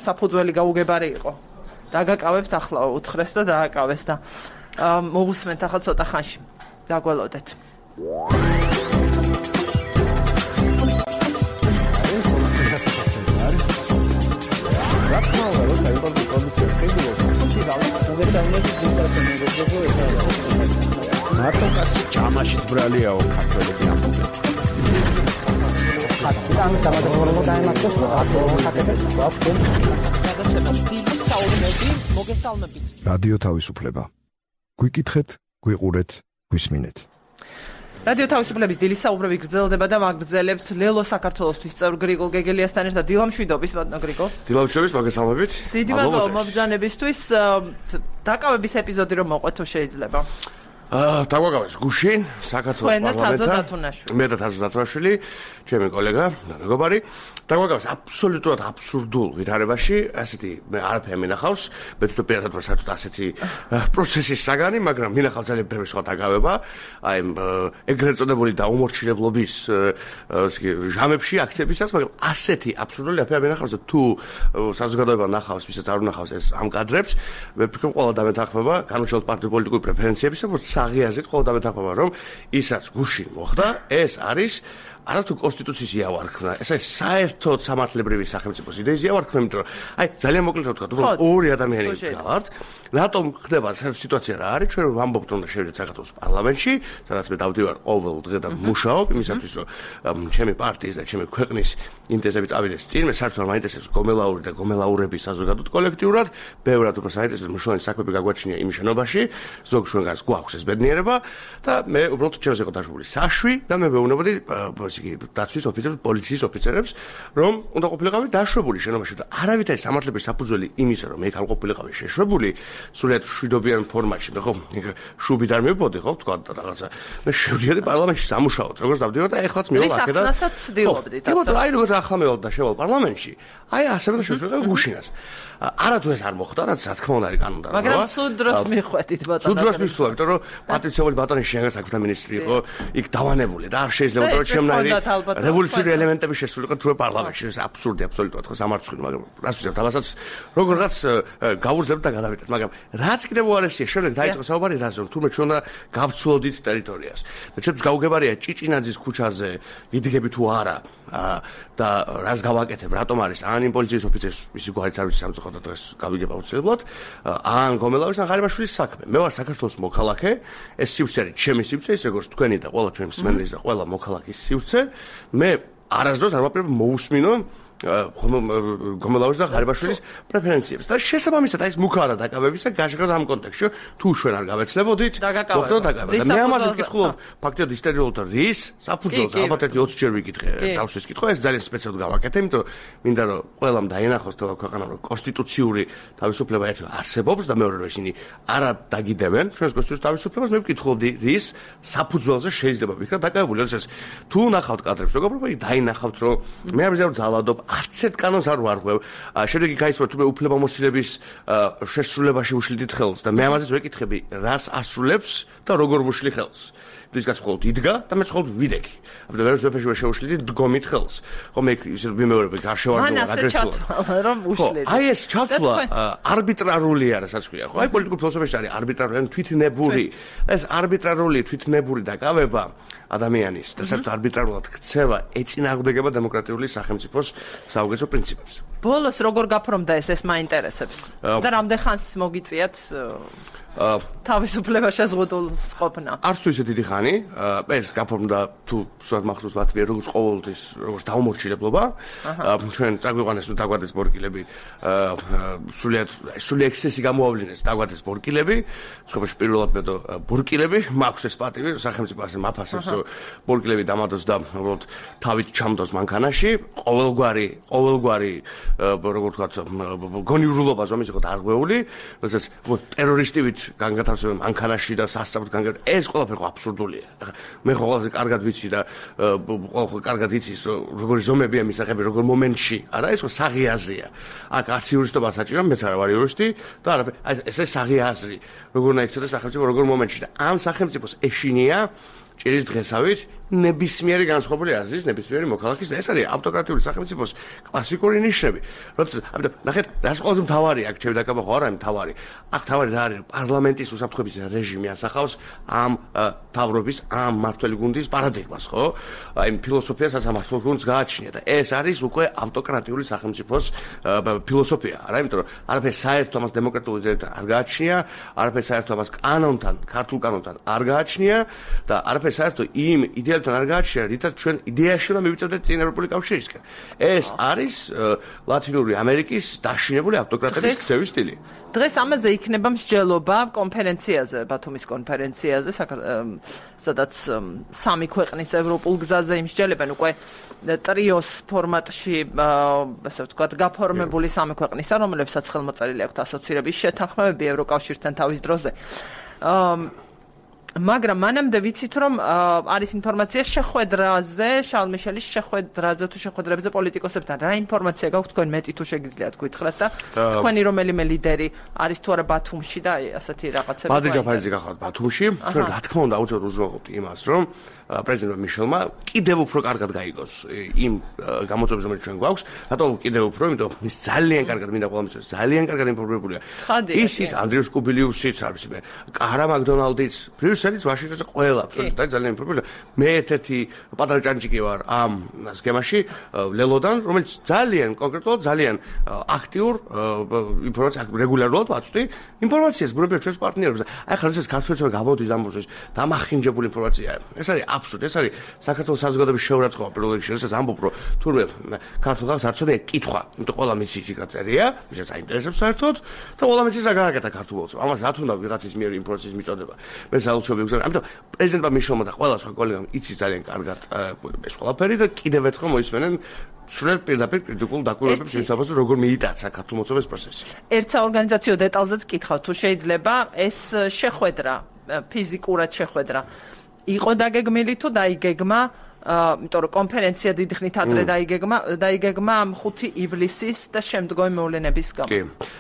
S1: საფუძველი გაუგებარი იყო დაგაკავებთ ახლა უთხრეს და დააკავეს და მოვუსმენთ ახლა ცოტა ხანში დაგველოდეთ
S4: მარტო კაცი ჯამაშიც ბრალიაო ქართველები ამბობენ.
S5: ამის გამოდროულობა დაემართოს
S4: რადიო თავისუფლება. გვიკითხეთ, გვიყურეთ, გვისმინეთ.
S1: რადიო თავისუფლების დილის საუბრები გრძელდება და მაგგრძელებთ ლელო საქართველოსთვის წევრ გრიგოლ გეგელიასთან ერთად დილამშვიდობის ბატონო გრიგოლ.
S4: დილამშვიდობის მოგესალმებით.
S1: დიდი მადლობა მობრძანებისთვის. დაკავების ეპიზოდი რომ მოყვეთ თუ შეიძლება.
S4: დაგვაგავეს გუშინ საქართველოს პარლამენტთან. მე და თაზო დათუნაშვილი ჩემი კოლეგა და მეგობარი დაგვაგავს აბსოლუტურად აბსურდულ ვითარებაში, ასეთი მე არაფერი მინახავს, მე თვითონ პირადად ვარ საერთოდ ასეთი პროცესის საგანი, მაგრამ მინახავს ძალიან ბევრი სხვა დაგავება, აი ეგრეთ წოდებული დაუმორჩილებლობის ჟამებში აქციებისას, მაგრამ ასეთი აბსურდული აფერი მინახავს და თუ საზოგადოება ნახავს, ვისაც არ უნახავს ეს ამ კადრებს, მე ვფიქრობ ყველა დამეთანხმება განუჩვენოთ პარტიული პოლიტიკური პრეფერენციების, უბრალოდ საღიაზრით ყველა დამეთანხმება, რომ ისაც გუშინ მოხდა, ეს არის არათუ კონსტიტუციის იავარქნა, ეს არის საერთოდ სამართლებრივი სახელმწიფოს იდეის იავარქნა, იმიტომ რომ აი ძალიან მოკლედ ვთქვა, უბრალოდ ორი ადამიანი გავართ, რატომ ხდება სიტუაცია რა არის, ჩვენ ვამბობთ რომ შევიდეთ საქართველოს პარლამენტში, სადაც მე დავდივარ ყოველ დღე და მუშაობ იმისათვის, რომ ჩემი პარტიის და ჩემი ქვეყნის ინტერესები წავიდეს წინ, მე საერთოდ მაინტერესებს გომელაური და გომელაურები საზოგადოდ კოლექტიურად, ბევრად უფრო საინტერესო მნიშვნელოვანი საქმეები გაგვაჩნია იმ შენობაში, ზოგ ჩვენგანს გვაქვს ეს ბედნიერება და მე უბრალოდ ჩემს იყო დაშვებული საშვი და მე ვეუბნებოდი დაცვის ოფიცერებს, პოლიციის ოფიცერებს, რომ უნდა ყოფილიყავი დაშვებული შენობაში და არავითარი სამართლებრივი საფუძველი იმისა, რომ მე არ ყოფილიყავი შეშვებული, სულად შვიდობიან ფორმატში, მე ხო შუბით არ მივბოდი, ხო, თქვა და რაღაცა. მე შევდიოდი პარლამენტში სამუშაოდ, როგორც დავდივარ და ეხლაც მივალ აქედან.
S1: ისახნასაც ცდილობდით.
S4: აი როგორც ახლა მევალ და შევალ პარლამენტში. აი ასევე შევწყვეტ გუშინას. არათუ ეს არ მოხდა, რაც რა თქმა უნდა არის კანონთან.
S1: მაგრამ სულ დროს მიხვედით ბატონო.
S4: სულ დროს მისვლა, იმიტომ რომ პატრიციული ბატონი შენგან საქმეთა მინისტრი იყო, იქ დავანებული და არ შეიძლება რომ ჩემნაირი რევოლუციური ელემენტები შესულიყო თუ პარლამენტში. ეს აბსურდი აბსოლუტურად ხო სამარცხვინო, მაგრამ რას ვიზავ თავასაც როგორღაც გავუძლებთ და გადავიდეთ, მაგრამ რაც კიდევ უარესია, შემდეგ დაიწყო საუბარი რაზე, რომ თურმე ჩვენ უნდა გავცვლოდით ტერიტორიას. და ჩემს გაუგებარია ჭიჭინაძის ქუჩაზე ვიდგები თუ არა და რას გავაკეთებ, რატომ არის ან იმ პოლიციის ოფიცერს მისი გვარიც არ ვიცი სამწუხაროდ დღეს გავიგებ აუცილებლად, ან გომელაურის ან ღარიბაშვილის საქმე. მე ვარ საქართველოს მოქალაქე, ეს სივრცე არის ჩემი სივრცე, ის როგორც თქვენი და ყველა ჩვენი მსმენელის და ყველა მოქალაქის სივრცე. მე არასდროს არ ვაპირებ მოусმინო გომელაურის და ღარიბაშვილის პრეფერენციებს და შესაბამისად აი ეს მუქარა დაკავებისა გაშღალ ამ კონტექსტში თუ ჩვენ არ გავეცლებოდით მოხდა დაკავება და მე ამაზე ვკითხულობ ფაქტიურად ისტორიულად რის საფუძველს ალბათ 20 ჯერ ვიკითხე დავსვის კითხვა ეს ძალიან სპეციალურად გავაკეთე იმიტომ რომ მინდა რომ ყველამ დაინახოს თქო ქვეყანამ რომ კონსტიტუციური თავისუფლება ერთად არსებობს და მეორე რომ ისინი არ დაგიდებენ ჩვენს კონსტიტუციის თავისუფლებას მე ვკითხულობდი რის საფუძველზე შეიძლება ვიქნა დაკავებული როდესაც თუ ნახავთ კადრებს როგორ დაინახავთ რომ მე არ ვიზავ ძალადობ არც ერთ კანონს არ ვარღვევ. შემდეგ გაიცნო თუ მე უფლებამოსილებების შესრულებაში უშლიდით ხელს და მე ამაზეც ვეკითხები, რას ასრულებს და როგორ ვუშლი ხელს. ის კაც მხოლოდ იდგა და მე მხოლოდ ვიდექი. აბა ვერც ვეფეში შეუშლიდით დგომით ხელს. ხომ მე ისე ვიმეორებ გაშევარდო აგრესულად.
S1: რომ უშლიდით.
S4: აი ეს ჩათვლა არბიტრარული არის, რაც ქვია, ხო? აი პოლიტიკურ ფილოსოფიაში არის არბიტრარული, თვითნებური. ეს არბიტრარული, თვითნებური დაკავება ადამიანის და საერთოდ არბიტრარულად ქცევა ეწინააღმდეგება დემოკრატიული სახელმწიფოს საუკეთესო პრინციპებს.
S1: ბოლოს როგორ გაფორმდა ეს მაინტერესებს? და რამდენ ხანს მოგიწიათ თავისუფლება შეზღუდულს ყოფნა?
S4: არც თუ ისე დიდი ხანი, ეს გაფორმდა თუ სულად მახსოვს ბათბიე როგორც ყოველთვის როგორც დაუმორჩილებლობა. ჩვენ წაგვიყვანეს ნუ დაგვადეს ბორკილები, სული ექსცესი გამოავლინეს დაგვადეს ბორკილები, ცხოვრებაში პირველად მე და ბორკილები, მაქვს ეს პატივი, სახელმწიფო ასე მაფასებს ბორკილები დამადოს და უბრალოდ თავით ჩამდოს მანქანაში, ყოველგვარი როგორ ვთქვათ, გონიურულობა ზომის იყო დარღვეული, როდესაც ტერორისტივით განგათავსებენ მანქანაში და სასწრაფოდ განგათ ეს ყველაფერი ხო აბსურდულია. მე ხო ყველაზე კარგად ვიცი და ხო კარგად იცის როგორი ზომებია მისაღები როგორ მომენტში. არა ეს ხო საღიაზრია. აქ არც იურისტობა საჭირო, მეც არ ვარ იურისტი და არაფერი. აი ეს საღიაზრი. როგორ უნდა იქცეს სახელმწიფო როგორ მომენტში და ამ სახელმწიფოს ეშინია ჭირის დღესავით ნებისმიერი განსხვავებული აზრის ნებისმიერი მოქალაქის და ეს არის ავტოკრატიული სახელმწიფოს კლასიკური ნიშნები. როდესაც ნახეთ, რას ყველაზე მთავარია აქ ჩემი დაკავება ხო არა მთავარი. აქ მთავარი რა არის? პარლამენტის უსაფრთხოების რეჟიმი ასახავს ამ თავრობის, ამ მმართველი გუნდის პარადიგმას, ხო? აი ფილოსოფიას ამ მმართველ გუნდს გააჩნია და ეს არის უკვე ავტოკრატიული სახელმწიფოს ფილოსოფია, არა? იმიტომ რომ არაფერი საერთო ამას დემოკრატიული იდეებთან არ გააჩნია, არაფერი საერთო ამას კანონთან, ქართულ კანონთან არ გააჩნია და არაფერი საერთო იმ იდეებთან არ გააჩნია, რითაც ჩვენ იდეაში უნდა მივიწევდეთ წინ ევროპული კავშირისკენ. ეს არის ლათინური ამერიკის დაშინებული ავტოკრატების ქცევის სტილი.
S1: დღეს ამაზე იქნება მსჯელობა კონფერენციაზე, ბათუმის კონფერენციაზე, სადაც სამი ქვეყნის ევროპულ გზაზე იმსჯელებენ უკვე ტრიოს ფორმატში, ასე ვთქვათ, გაფორმებული სამი ქვეყნისა, რომლებსაც ხელმოწერილი აქვთ ასოცირების შეთანხმებები ევროკავშირთან თავის დროზე. მაგრამ მანამდე ვიცით რომ არის ინფორმაცია შეხვედრაზე, შარლ მიშელის შეხვედრაზე თუ შეხვედრებზე პოლიტიკოსებთან. რა ინფორმაცია გაქვთ თქვენ მეტი თუ შეგიძლიათ გითხრათ და თქვენი რომელიმე ლიდერი არის თუ არა ბათუმში და ასეთი რაღაცები.
S4: ბადრი ჯაფარიძე გახავთ ბათუმში. ჩვენ რა თქმა უნდა აუცილებლად უზრუნველყოფთ იმას, რომ პრეზიდენტ მიშელმა კიდევ უფრო კარგად გაიგოს იმ გამოწვევებს, რომელიც ჩვენ გვაქვს. რატომ კიდევ უფრო? იმიტომ ის ძალიან კარგად მინდა ყველა მისწროს, ძალიან კარგად ინფორმირებულია. ისიც ანდრიუს კუბილიუსიც არის მე. კარა მაკდონალდიც, ბრიუსელიც, ვაშინგტონში ყველა აბსოლუტურად ძალიან ინფორმირებულია. მე ერთ-ერთი პატარა ჭანჭიკი ვარ ამ სქემაში ლელოდან, რომელიც ძალიან კონკრეტულად ძალიან აქტიურ ინფორმაციას რეგულარულად ვაწვდი. ინფორმაციას ბრუნებია ჩვენს პარტნიორებს. აი ხარ ეს ქართველებმა გამოდის ამბობს დამახინჯებული ინფორმაცია. ეს არის აბსურდი, ეს არის საქართველოს საზოგადოების შეურაცხყოფა პირველ რიგში, რასაც ამბობ, რომ თურმე ქართულ ხალხს არ ცოდნა კითხვა, იმიტომ ყველა მიცის იქ წერია, ვისაც აინტერესებს საერთოდ და ყველა მიცის რა გააკეთა ქართულ ოცნებს. ამას რა თქმა უნდა ვიღაცის მიერ ინფორმაციის მიწოდება. მე საერთოდ ვიგზავნა. ამიტომ პრეზიდენტმა მიშელმა და ყველა სხვა კოლეგამ იცის ძალიან კარგად ეს ყველაფერი და კიდევ ერთხელ მოისმენენ სრულ პირდაპირ კრიტიკულ დაკვირვებებს შესაბამისად როგორ მიიტაცა ქართულ მოწვევის პროცესი.
S1: ერთსა ორგანიზაციო დეტალზეც კითხავ თუ შეიძლება ეს შეხვედრა ფიზიკურად შეხვედრა იყო დაგეგმილი თუ დაიგეგმა იმიტომ რომ კონფერენცია დიდი ხნით ადრე დაიგეგმა 5 ივლისის და შემდგომი მოვლენების გამო.
S4: კი.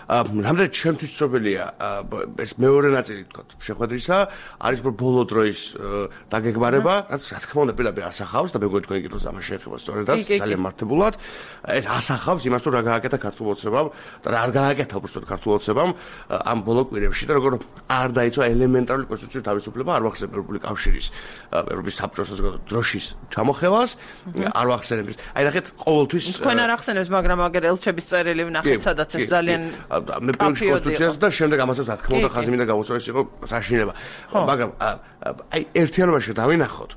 S4: რამდენად ჩემთვის ცნობილია ეს მეორე ნაწილი თქო შეხვედრისა არის ბოლო დროის დაგეგმარება, რაც რა თქმა უნდა პირდაპირ ასახავს და მეგონი თქვენი კითხვის ამას შეეხება სწორედაც ძალიან მართებულად. ეს ასახავს იმას თუ რა გააკეთა ქართულ ოცნებამ და რა არ გააკეთა უბრალოდ ქართულ ოცნებამ ამ ბოლო კვირებში და როგორ არ დაიცვა ელემენტარული კონსტიტუციური თავისუფლება არ ვახსენებ ევროპული კავშირის ევროპის საბჭოს საზოგადოების დროშის ჩამოხევას არ ვახსენებს. აი ნახეთ ყოველთვის
S1: თქვენ არ ახსენებს, მაგრამ აგერ ელჩების წერილი ვნახეთ, სადაც ეს ძალიან
S4: მე პირველში კონსტიტუციას და შემდეგ ამასაც რა თქმა უნდა ხაზი მინდა გავუსვა ეს იყო საშინება. მაგრამ აი ერთიანობაში დავინახოთ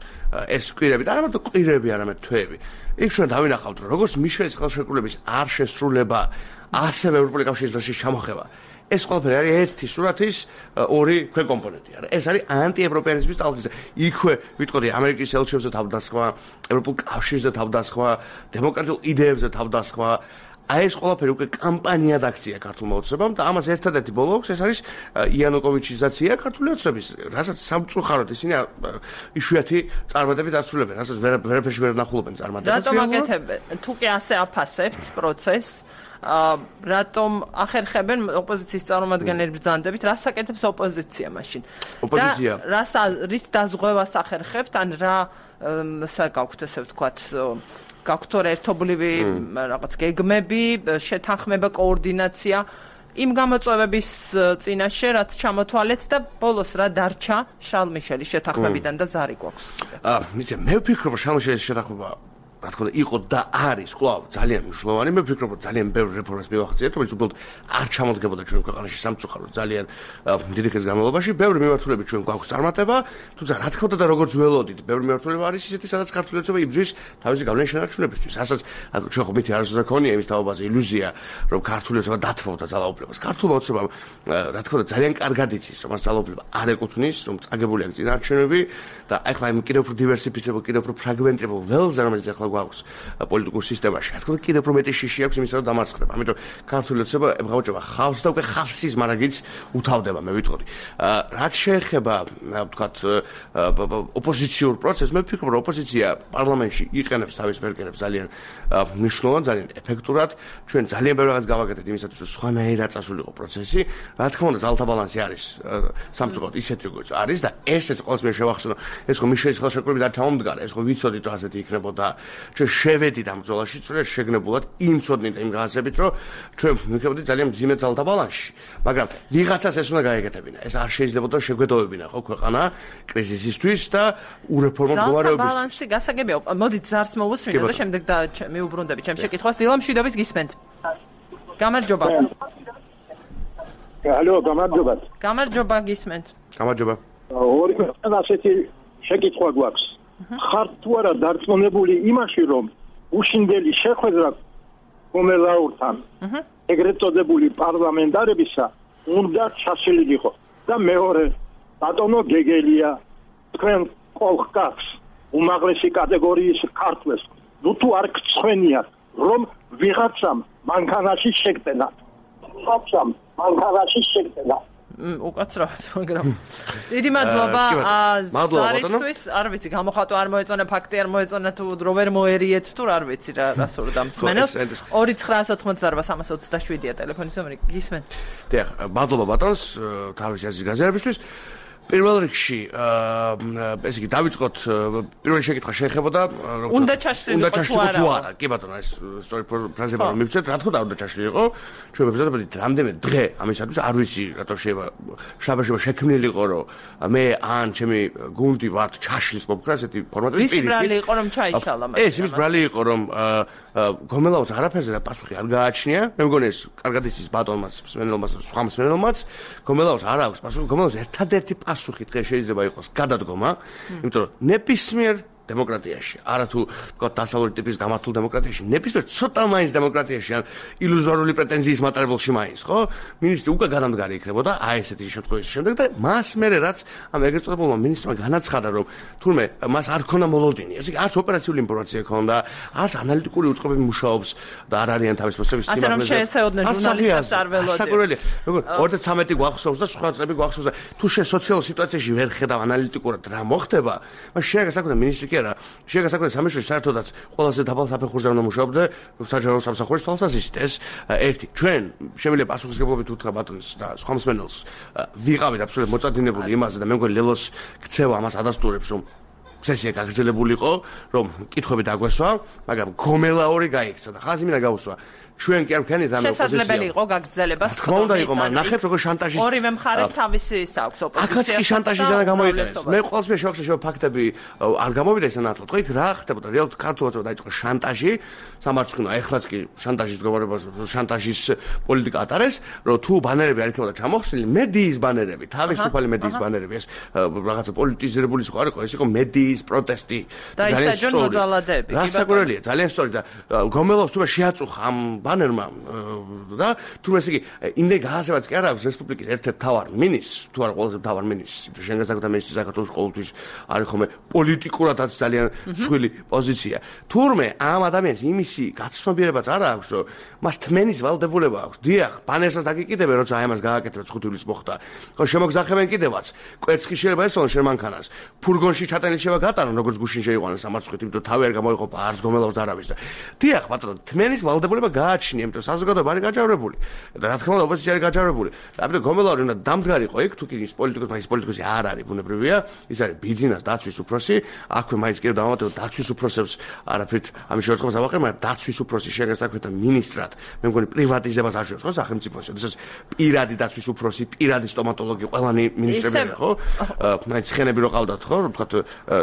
S4: ეს კვირები და არა მარტო კვირები, არამედ თვეები. იქ ჩვენ დავინახავთ, როგორც მიშელის ხელშეკრულების არ შესრულება, ასევე ევროპული კავშირის დროშის ჩამოხევა. ეს ყველაფერი არის ერთი სურათის ორი ქვეკომპონენტი. ეს არის ანტიევროპეანიზმის ტალღისა. იქვე ვიტყოდი ამერიკის ელჩებზე თავდასხმა, ევროპულ კავშირზე თავდასხმა, დემოკრატიულ იდეებზე თავდასხმა. აი ეს ყველაფერი უკვე კამპანიად აქცია ქართულმა ოცნებამ და ამას ერთადერთი ბოლო აქვს, ეს არის იანუკოვიჩიზაცია ქართული ოცნების, რასაც სამწუხაროდ ისინი იშვიათი წარმატებით ასრულებენ, რასაც ვერაფერში ვერ ნახულობენ წარმატებას.
S1: რატომ აკეთებენ? თუ კი ასე აფასებთ პროცესს რატომ ახერხებენ ოპოზიციის წარმომადგენლები ბრძანდებით, რას აკეთებს ოპოზიცია მაშინ?
S4: ოპოზიცია
S1: რის დაზღვევას ახერხებთ, ან რა გაქვთ ესე ვთქვათ, გაქვთ ერთობლივი რაღაც გეგმები, შეთანხმება, კოორდინაცია იმ გამოწვევების წინაშე, რაც ჩამოთვალეთ და ბოლოს რა დარჩა შარლ მიშელის შეთანხმებიდან და ზარი გვაქვს.
S4: მე ვფიქრობ, რომ შარლ მიშელის შეთანხმება რა თქმა უნდა იყო და არის კვლავ ძალიან მნიშვნელოვანი. მე ვფიქრობ, რომ ძალიან ბევრ რეფორმას მივახციეთ, რომელიც უბრალოდ არ ჩამოდგებოდა ჩვენ ქვეყანაში სამწუხაროდ ძალიან დიდი ხნის განმავლობაში. ბევრი მიმართულებით ჩვენ გვაქვს წარმატება, თუმცა რა თქმა უნდა და როგორც ველოდით, ბევრი მიმართულება არის ისეთი, სადაც ქართული ოცნება იბრძვის თავისი გავლენის შენარჩუნებისთვის. ასაც ჩვენ ხო მითი არასოდეს ქონია იმის თაობაზე ილუზია, რომ ქართული ოცნება დათმობდა ძალაუფლებას. ქართული ოცნება რა თქმა უნდა ძალიან კარგად იცის, რომ ამ ძალაუფლება არ ეკუთვნის, რომ წაგებული აქვს წინარჩუნები და ახლა იმ კიდევ უფრო დივერსიფიცირებულ, კიდევ უფრო ფრაგმენტირებულ ველზე, რომელიც ახლა გვაქვს პოლიტიკურ სისტემაში. რა თქმა უნდა, კიდევ უფრო მეტი შიში აქვს იმისა, რომ დამარცხდება. ამიტომ ქართული ოცნება ებღავჭება ხალხს და უკვე ხალხის მარაგიც უთავდება, მე ვიტყოდი. რაც შეეხება, ვთქვათ, ოპოზიციურ პროცესს, მე ვფიქრობ, რომ ოპოზიცია პარლამენტში იყენებს თავის მერგენებს ძალიან მნიშვნელოვნად, ძალიან ეფექტურად. ჩვენ ძალიან ბევრ რაღაც გავაკეთეთ იმისათვის, რომ სხვანაირად წასულიყო პროცესი. რა თქმა უნდა, ძალთა ბალანსი არის სამწუხაროდ ისეთი, როგორც არის და ესეც ყოველს მე შევახსენო. ეს ხო მიშელის ხელშეკრულებით არ ჩამომდგარა, ეს ხო ვიცოდით, რომ ასეთი იქნებოდა. ჩვენ შევედით ამ ბრძოლაში, სწორედ შეგნებულად იმ ცოდნით და იმ გასებით, რომ ჩვენ მივხვდით ძალიან მძიმე ძალთა ბალანსში. მაგრამ ვიღაცას ეს უნდა გაეკეთებინა. ეს არ შეიძლებოდა შეგვედოვებინა ხო ქვეყანა კრიზისისთვის და ურეფორმო მდგომარეობისთვის.
S1: ძალთა ბალანსი გასაგებია. მოდით ზარს მოვუსმინოთ და შემდეგ მივუბრუნდებით ჩემს შეკითხვას. დილამ მშვიდობის გისმენთ. გამარჯობა.
S6: ალო, გამარჯობა.
S1: გამარჯობა გისმენთ.
S4: გამარჯობა.
S6: ორი ასეთი შეკითხვა გვაქვს. ხართ თუ არა დარწმუნებული იმაში, რომ უშინდელი შეხვედრა კომელაურთან ეგრეთ წოდებული პარლამენტარებისა უნდა ჩაშლილიყო და მეორე ბატონო გეგელია თქვენ კოლხკაც უმაღლესი კატეგორიის ქართველს ნუ თუ არ გწვენიათ რომ ვიღაცამ მანქანაში შეგტენა
S1: უკაცრავად, მაგრამ დიდი მადლობა ზარისთვის, არ ვიცი, გამოხატვა არ მოეწონა, ფაქტი არ მოეწონა თუ რო ვერ მოერიეთ თუ არ ვიცი რა სურდა მსმენელს. 2998-327-ია ტელეფონის ნომერი, გისმენთ.
S4: დიახ, მადლობა ბატონს თავის აზრის გაზიარებისთვის. პირველ რიგში ესე იგი დავიწყოთ პირველი შეკითხვა შეეხებოდა
S1: უნდა ჩაშლილიყო
S4: თუ არა. კი ბატონო, ეს სწორი ფრაზება რომ მივცეთ, რა თქმა უნდა ჩაშლილიყო. ჩვენ ვებზადებოდით რამდენიმე დღე ამისათვის, არ ვიცი რატო შეიძლება შაბაშება შექმნილიყო, რომ მე ან ჩემი გუნდი ვართ ჩაშლის მომხრა ესეთი ფორმატის
S1: პირიქით. ის ბრალი იყო რომ ჩაიშალა მაგრამ.
S4: ეს იმის ბრალი იყო რომ გომელაუს არაფერზე და პასუხი არ გააჩნია. მე მგონი ეს კარგად იცის ბატონმაც, მსმენელმაც, სხვა მსმენელმაც. გომელაუს არ აქვს პასუხი. გომელაუს ერთადერთი პასუხი დღეს შეიძლება იყოს გადადგომა, იმიტომ რომ ნებისმიერ დემოკრატიაში, არა თუ თქვა დასავლური ტიპის გამართულ დემოკრატიაში, ნებისმიერ ცოტა მაინც დემოკრატიაში ან ილუზორული პრეტენზიის მატარებელში მაინც, ხო? მინისტრი უკვე განამდგარი იქნებოდა აი ესეთი შემთხვევის შემდეგ და მას მერე რაც ამ ეგრეთ წოდებულმა მინისტრმა განაცხადა, რომ თურმე მას არ ქონდა მოლოდინი, ესე იგი არც ოპერაციული ინფორმაცია ქონდა, არც ანალიტიკური უწყობები მუშაობს და არ არიან თავის მოსების სიმაღლეზე.
S1: ასე რომ შეესეოდნენ ჟურნალისტებს არ ველოდები.
S4: საკურველია, როგორ 2013 გვახსოვს და სხვა წლები გვახსოვს და თუ სოციალურ სიტუაციაში ვერ ხედავ ანალიტიკურად რა მოხდება, მას შეეგასაკუთრა მინისტრი შეეგასაკუთრა სამეშვიდე საერთოდაც ყველაზე დაბალ საფეხურზე უნდა მუშაობდე საჯარო სამსახურის თვალსაზრისით ეს ერთი ჩვენ შემიძლია პასუხისმგებლობით უთხრა ბატონს და სხვა მსმენელს ვიყავით აბსოლუტურად მოწადინებული იმაზე და მე მგონი ლელოს ქცევა ამას ადასტურებს რომ სესია გაგრძელებულიყო რომ კითხვები დაგვესვა მაგრამ გომელაური გაიქცა და ხაზი მინდა გავუსვა ჩვენ კი არ ვქენით ამ ოპოზიციას.
S1: შესაძლებელი იყო გაგრძელება.
S4: თქმა უნდა იყო, მაგრამ ნახეთ როგორ შანტაჟის
S1: ორივე მხარეს თავისი ის აქვს ოპოზიციას.
S4: აქაც კი შანტაჟისგან გამოიყენეს. მე ყოველთვის შევახშე ფაქტები არ გამოვიდა ეს ანათლად. ხო იქ რა ხდებოდა? რეალურად ქართულადაც დაიწყო შანტაჟი, სამარცხინო, ეხლაც კი შანტაჟის მდგომარეობას, შანტაჟის პოლიტიკა ატარეს, რომ თუ ბანერები არ იქნებოდა ჩამოხსნილი, მედიის ბანერები, თავისუფალი მედიის ბანერები, ეს რაღაცა პოლიტიზირებული იყო, არ იყო, ეს იყო მედიის პროტესტი.
S1: ძალიან სწორი.
S4: რასაკურველია, ძალიან სწორი და გომელოს თუ შეაწუხა ამ ბანერმა და თუმცა იგი იმდენ გაასებაც კი არ აქვს რესპუბლიკის ერთ-ერთ მთავარ მინისტრს, თუ არა ყველაზე მთავარ მინისტრს, შენ გასაგებია მინისტრი საქართველოს ყოველთვის არის ხოლმე პოლიტიკურადაც ძალიან მსხვილი პოზიცია. თურმე ამ ადამიანს იმისი გაცნობიერებაც არ აქვს, რომ მას თმენის ვალდებულება აქვს. დიახ, ბანერსაც დაგიკიდებენ, როცა აი ამას გააკეთებთ 5 ივლისს მოხდა. ხო შემოგზახებენ კიდევაც. კვერცხი შეიძლება ესწავლონ შენ მანქანას. ფურგონში ჩატანილი შევა გატარონ, როგორც გუშინ შეიყვანეს სამარცხვით, იმიტომ თავი არ გამოიყოფა არც გომელავს და არავის და. დიახ, ბატონო, თმენის ვალდებულება გააჩნია, იმიტომ საზოგადოება არის გაჯავრებული და რა თქმა უნდა ოპოზიცია არის გაჯავრებული. და ამიტომ გომელაური უნდა დამდგარიყო იქ, თუ კი ის პოლიტიკოსი, მაგრამ ის პოლიტიკოსი არ არის ბუნებრივია, ის არის ბიძინას დაცვის უფროსი, აქვე მაინც კი დავამატებო დაცვის უფროსებს არაფრით ამის შორწყებას ავაყრე, მაგრამ დაცვის უფროსი შეგასაკეთდა მინისტრად. მე მგონი პრივატიზებას არ შეუძლებს ხო სახელმწიფოში, შესაძლოა პირადი დაცვის უფროსი, პირადი სტომატოლოგი, ყველანი მინისტრები ხო? მაინც ხენები რო ყავდათ ხო, ვთქვათ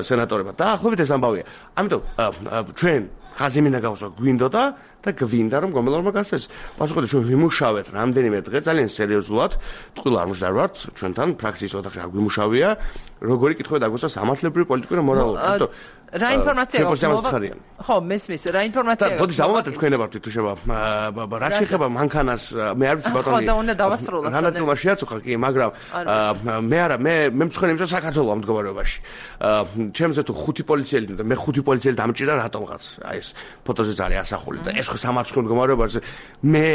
S4: სენატორებად. დაახლოებით ეს ამბავია. ამიტომ ჩვენ ხაზი მინდა გავუსვა გვინდოდა და გვინდა რომ გომელაურმა გასცეს. პასუხი ჩვენ ვიმუშავეთ რამდენიმე დღე ძალიან სერიოზულად, ტყუილ არ მუშაობთ ჩვენთან ფრაქციის ოთახში არ გვიმუშავია, როგორი კითხვები დაგვესვა სამართლებრივი პოლიტიკური და მორალური. ამიტომ
S1: რა ინფორმაცია გაქვს? ხო, მესმის, რა ინფორმაცია გაქვს?
S4: ბოდი დავამატეთ თქვენებართ თუ შევა. რა შეხება მანქანას, მე არ ვიცი ბატონი.
S1: ხო, და უნდა დავასრულოთ.
S4: რანაცულმა შეაწუხა კი, მაგრამ მე არა, მე მწუხენი იმის საქართველოს ამ მდგომარეობაში. ჩემზე თუ 5 პოლიციელი და მე 5 პოლიციელი დამჭირდა რატომღაც. აი ეს ფოტოზეც არის ასახული და ეს ხო სამარცხო მდგომარეობაში. მე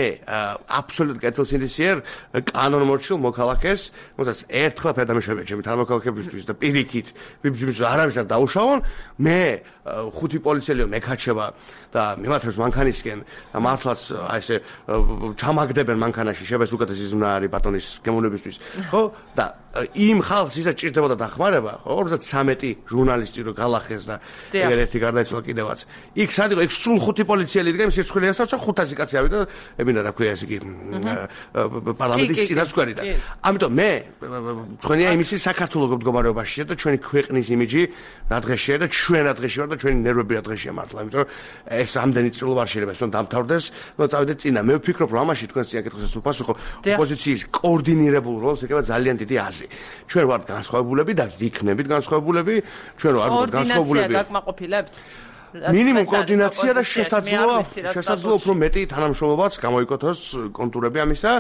S4: აბსოლუტ კეთილსინდისიერ კანონმორჩილ მოქალაქეს, მოსაც ერთხელ ფერდამეშვებია ჩემი თანამოქალაქეებისთვის და პირიქით ვიბრძვის არავის არ დაუშავონ. მე 5 პოლიციელიო მეკაჩება და მიმართებს მანქანისკენ და მართლაც აი ესე ჩამაგდებენ მანქანაში შებას უკეთესი ზმნა არის ბატონის გემოვნებისთვის ხო და იმ ხალხს ისაც ჭირდებოდა დახმარება ხო 53 ჟურნალისტი რო გალახეს და ერთ-ერთი გარდაიცვალა კიდევაც იქ სად იყო იქ სულ 5 პოლიციელი იდგა იმ სირცხვილიასაც 500 კაცი ავიდა და ემინდა რა ქვია ეს იგი პარლამენტის წინასწარი და ამიტომ მე თქვენია იმისი საქართველოს მდგომარეობაშია და ჩვენი ქვეყნის იმიჯი რა დღეშია და ჩვენ რა დღეში ვარ და ჩვენი ნერვები რა დღეშია მართლა იმიტომ რომ ეს ამდენი წილო არ შეიძლება ეს რომ დამთავრდეს და წავიდეთ წინა მე ვფიქრობ რომ ამაში თქვენ სიაკითხეს უპასუხო ოპოზიციის კოორდინირებულ როლს ეკავა ძალიან დიდი აზრი ჩვენ ვართ განსხვავებულები და ვიქნებით განსხვავებულები ჩვენ ვართ განსხვავებულები
S1: გაკმაყოფილებთ
S4: მინიმუმ კოორდინაცია და შესაძლოა უფრო მეტი თანამშრომლობაც გამოიკოთოს კონტურები ამისა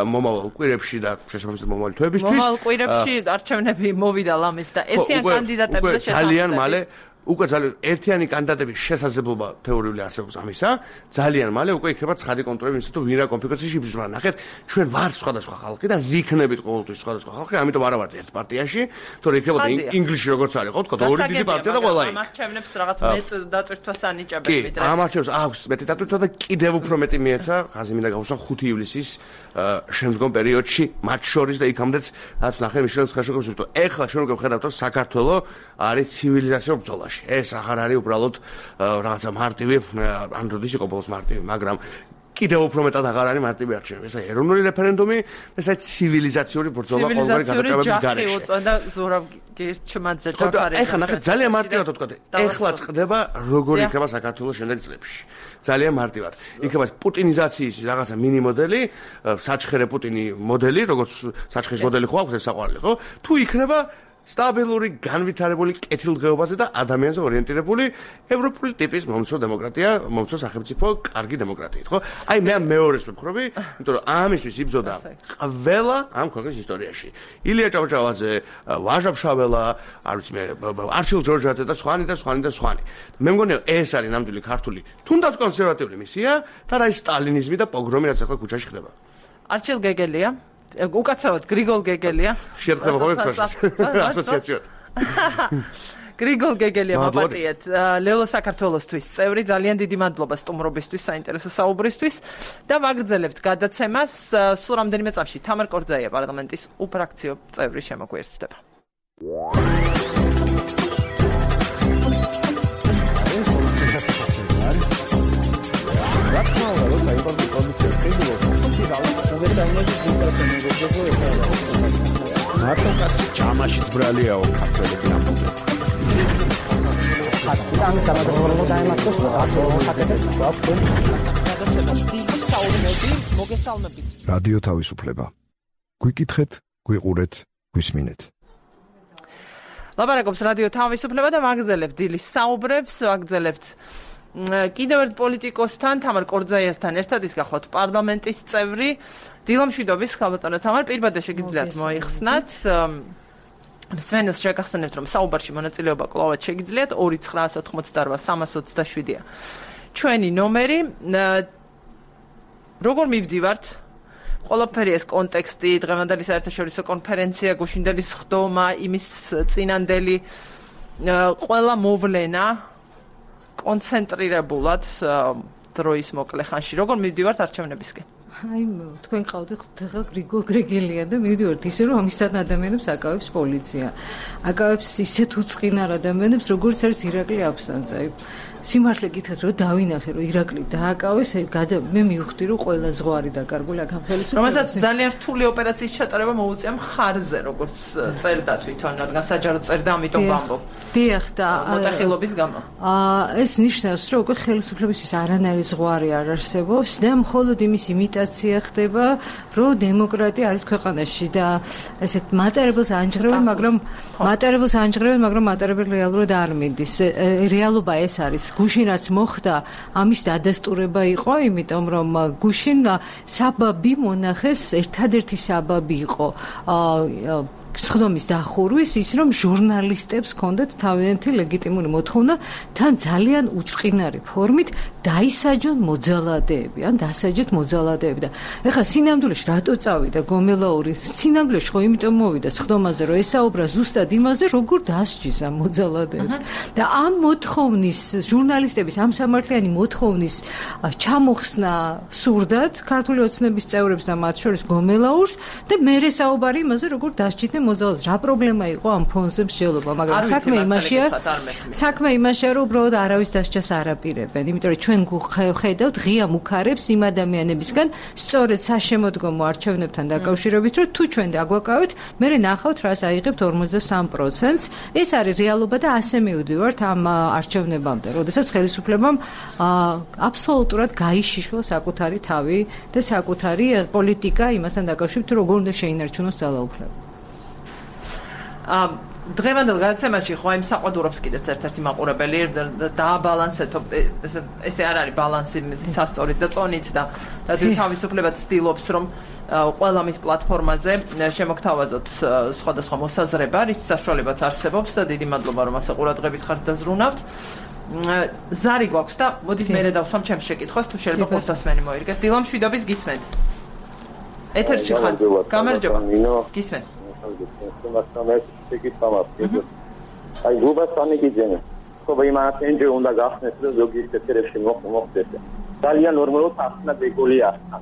S4: მომავალ კვირებში და შესაბამისად მომავალი თვეებისთვის
S1: მომავალ კვირებში არჩევნები მოვიდა ლამის და ერთიან კანდიდატებზე
S4: ძალიან მალე უკვე ძალიან ერთიანი კანდიდატების შესაძლებლობა თეორიული არსებობს ამისა, ძალიან მალე უკვე იქნება ცხადი კონტროლი იმისა, თუ ვინ რა კონფიგურაციაში იბრძვა. ნახეთ, ჩვენ ვართ სხვადასხვა ხალხი და ვიქნებით ყოველთვის სხვადასხვა ხალხი, ამიტომ არა ვართ ერთ პარტიაში, თორე იქნებოდა ინგლისში როგორც არის, ხო, თქო, ორი დიდი პარტია და ყველა იქ.
S1: ამ არჩევნებს რაღაც მეტ დაწვირთვას ანიჭებენ
S4: ვიდრე. ამ არჩევნებს აქვს მეტი დაწვირთვა და კიდევ უფრო მეტი მიეცა, ხაზი მინდა გავუსვა 5 ივლისის შემდგომ პერიოდში, მათ შორის და იქამდეც რაც ნახე მიშელ ხაშოკოვს, იმიტომ ეხლა ჩვენ უკვე ვხედავთ, რომ საქართველო არის ცივილიზაციურ ბრძოლაში. ეს აღარ არის უბრალოდ რაღაცა მარტივი, ან როდის იყო ბოლოს მარტივი, მაგრამ კიდევ უფრო მეტად აღარ არის მარტივი არჩევნები. ეს ეროვნული რეფერენდუმი, ეს არის ცივილიზაციური ბრძოლა ყოველგვარი გადაჭრების გარეშე.
S1: ცივილიზაციური ჯახი და ზურაბ გირჩმაძე ჯაფარი.
S4: ეხლა ნახეთ, ძალიან მარტივად ვთქვათ. ეხლა წდება როგორ იქნება საქართველოს შემდეგ წლებში. ძალიან მარტივად. იქნება პუტინიზაციის რაღაცა მინი მოდელი, საჩხერე პუტინი მოდელი, როგორც საჩხერის მოდელი ხო აქვს ეს საყვარელი, ხო? თუ იქნება სტაბილური, განვითარებული კეთილდღეობაზე და ადამიანზე ორიენტირებული ევროპული ტიპის მომცრო დემოკრატია, მომცრო სახელმწიფო, კარგი დემოკრატიით, ხო? აი მე მეორეს ვფიქრობი, იმიტომ რომ ამისთვის იბრძოდა ყველა ამ ქვეყნის ისტორიაში. ილია ჭავჭავაძე, ვაჟა-ფშაველა, არ ვიცი მე, არჩილ ჯორჯაძე და სხვანი და სხვანი და სხვანი. მე მგონია ეს არის ნამდვილი ქართული, თუნდაც კონსერვატიული მისია და რა ის სტალინიზმი და პოგრომი რაც ახლა ქუჩაში ხდება.
S1: არჩილ გეგელია უკაცრავად გრიგოლ გეგელია
S4: შეერთხება ხოლმე ასოციაციად
S1: გრიგოლ გეგელია მაპატიეთ ლელო საქართველოსთვის წევრი ძალიან დიდი მადლობა სტუმრობისთვის საინტერესო საუბრისთვის და ვაგრძელებთ გადაცემას სულ რამდენიმე წამში თამარ კორძაია პარლამენტის უფრაქციო წევრი შემოგვიერთდება
S7: მარტოკაცი ჯამაშიც ბრალიაო ქართველები ამბობენ. რადიო თავისუფლება. გვიკითხეთ, გვიყურეთ, გვისმინეთ.
S1: ლაპარაკობს რადიო თავისუფლება და ვაგრძელებთ დილის საუბრებს, ვაგრძელებთ კიდევ ერთ პოლიტიკოსთან, თამარ კორძაიასთან ერთად ის გახლავთ პარლამენტის წევრი, დილამშვიდობის ხალბატონო თამარ, პირბადე შეგიძლიათ მოიხსნათ. სვენოს შეგახსენებთ, რომ საუბარში მონაწილეობა კვლავაც შეგიძლიათ 2988327-ია. ჩვენი ნომერი. როგორ მივდივართ? ყველაფერი ეს კონტექსტი, დღევანდელი საერთაშორისო კონფერენცია, გუშინდელის ხდომა, იმის წინანდელი ყველა მოვლენა კონცენტრირებულად დროის მოკლე ხანში. როგორ მივდივართ არჩევნებისკენ?
S8: აი, თქვენ ყავდით ხელ გრიგოლ გრეგელია და მივდივართ ისე რომ ამისთან ადამიანებს აკავებს პოლიცია. აკავებს ისეთ უწყინარ ადამიანებს, როგორც არის ირაკლი აფსანძე. სიმართლე გითხრათ რომ დავინახე რომ ირაკლი დააკავეს, მე მივხვდი რომ ყველა ზღვარი დაკარგული აქ ამ ხელისუფლებას.
S1: რომელსაც ძალიან რთული ოპერაციის ჩატარება მოუწია მხარზე, როგორც წერდა თვითონ, რადგან საჯარო წერდა, ამიტომ ვამბობ.
S8: დიახ და
S1: მოტეხილობის გამო.
S8: ეს ნიშნავს რომ უკვე ხელისუფლებისთვის არანაირი ზღვარი არ არსებობს და მხოლოდ იმის იმიტაცია ხდება, რომ დემოკრატია არის ქვეყანაში და ესეთ მატარებელს ანჯღრევენ, მაგრამ მატარებელი რეალურად არ მიდის. რეალობა ეს არის. გუშინ რაც მოხდა, ამის დადასტურება იყო, იმიტომ რომ გუშინ საბაბი მონახეს, ერთადერთი საბაბი იყო სხდომის დახურვის ის რომ ჟურნალისტებს ჰქონდათ თავიანთი ლეგიტიმური მოთხოვნა თან ძალიან უწყინარი ფორმით დაისაჯონ მოძალადეები ან დასაჯეთ მოძალადეები და ეხლა სინამდვილეში რატო წავიდა გომელაური სინამდვილეში ხო იმიტომ მოვიდა სხდომაზე რომ ესაუბრა ზუსტად იმაზე როგორ დასჯის ამ მოძალადეებს და ამ მოთხოვნის ჟურნალისტების ამ სამართლიანი მოთხოვნის ჩამოხსნა სურდათ ქართული ოცნების წევრებს და მათ შორის გომელაურს და მერე საუბარი იმაზე როგორ დასჯიდნენ მოძალადეებს რა პრობლემა იყო ამ ფონზე მსჯელობა მაგრამ საქმე იმაშია რომ უბრალოდ არავის დასჯას არ აპირებენ იმიტომ რომ ჩვენ ხედავთ ღია მუქარებს იმ ადამიანებისგან სწორედ საშემოდგომო არჩევნებთან დაკავშირებით რომ თუ ჩვენ დაგვაკავეთ მე ნახავთ რას აიღებთ 53%-ს ეს არის რეალობა და ასე მივდივართ ამ არჩევნებამდე როდესაც ხელისუფლებამ აბსოლუტურად გაიშიშვა საკუთარი თავი და საკუთარი პოლიტიკა იმასთან დაკავშირებით რომ როგორ უნდა შეინარჩუნოს ძალაუფლება
S1: დღევანდელ გადაცემაში ხო იმ საყვადურობს კიდეც ერთ-ერთი მაყურებელი დააბალანსეთო ესე არ არის ბალანსი სასწორით და წონით და რადგან თავისუფლება ცდილობს რომ ყველა მის პლატფორმაზე შემოგთავაზოთ სხვადასხვა მოსაზრება, რის საშუალებაც არსებობს და დიდი მადლობა რომ ასე ყურადღებით ხართ და ზრუნავთ. ზარი გვაქვს და მოდით მერე დავსვამ ჩემს შეკითხვას თუ შეიძლება խոսასმენი მოირგეთ. დილამ შვიდობის გისმენთ. ეთერში ხარ. გამარჯობა. გისმენთ.
S9: აი გუბასანი გიძენე. ხო იმას ენჯე უნდა გახსნეს და ზოგიერთ ეთერებში მოხდეს. ძალიან ნორმალურად ახსნა დეგოლია ახსნა.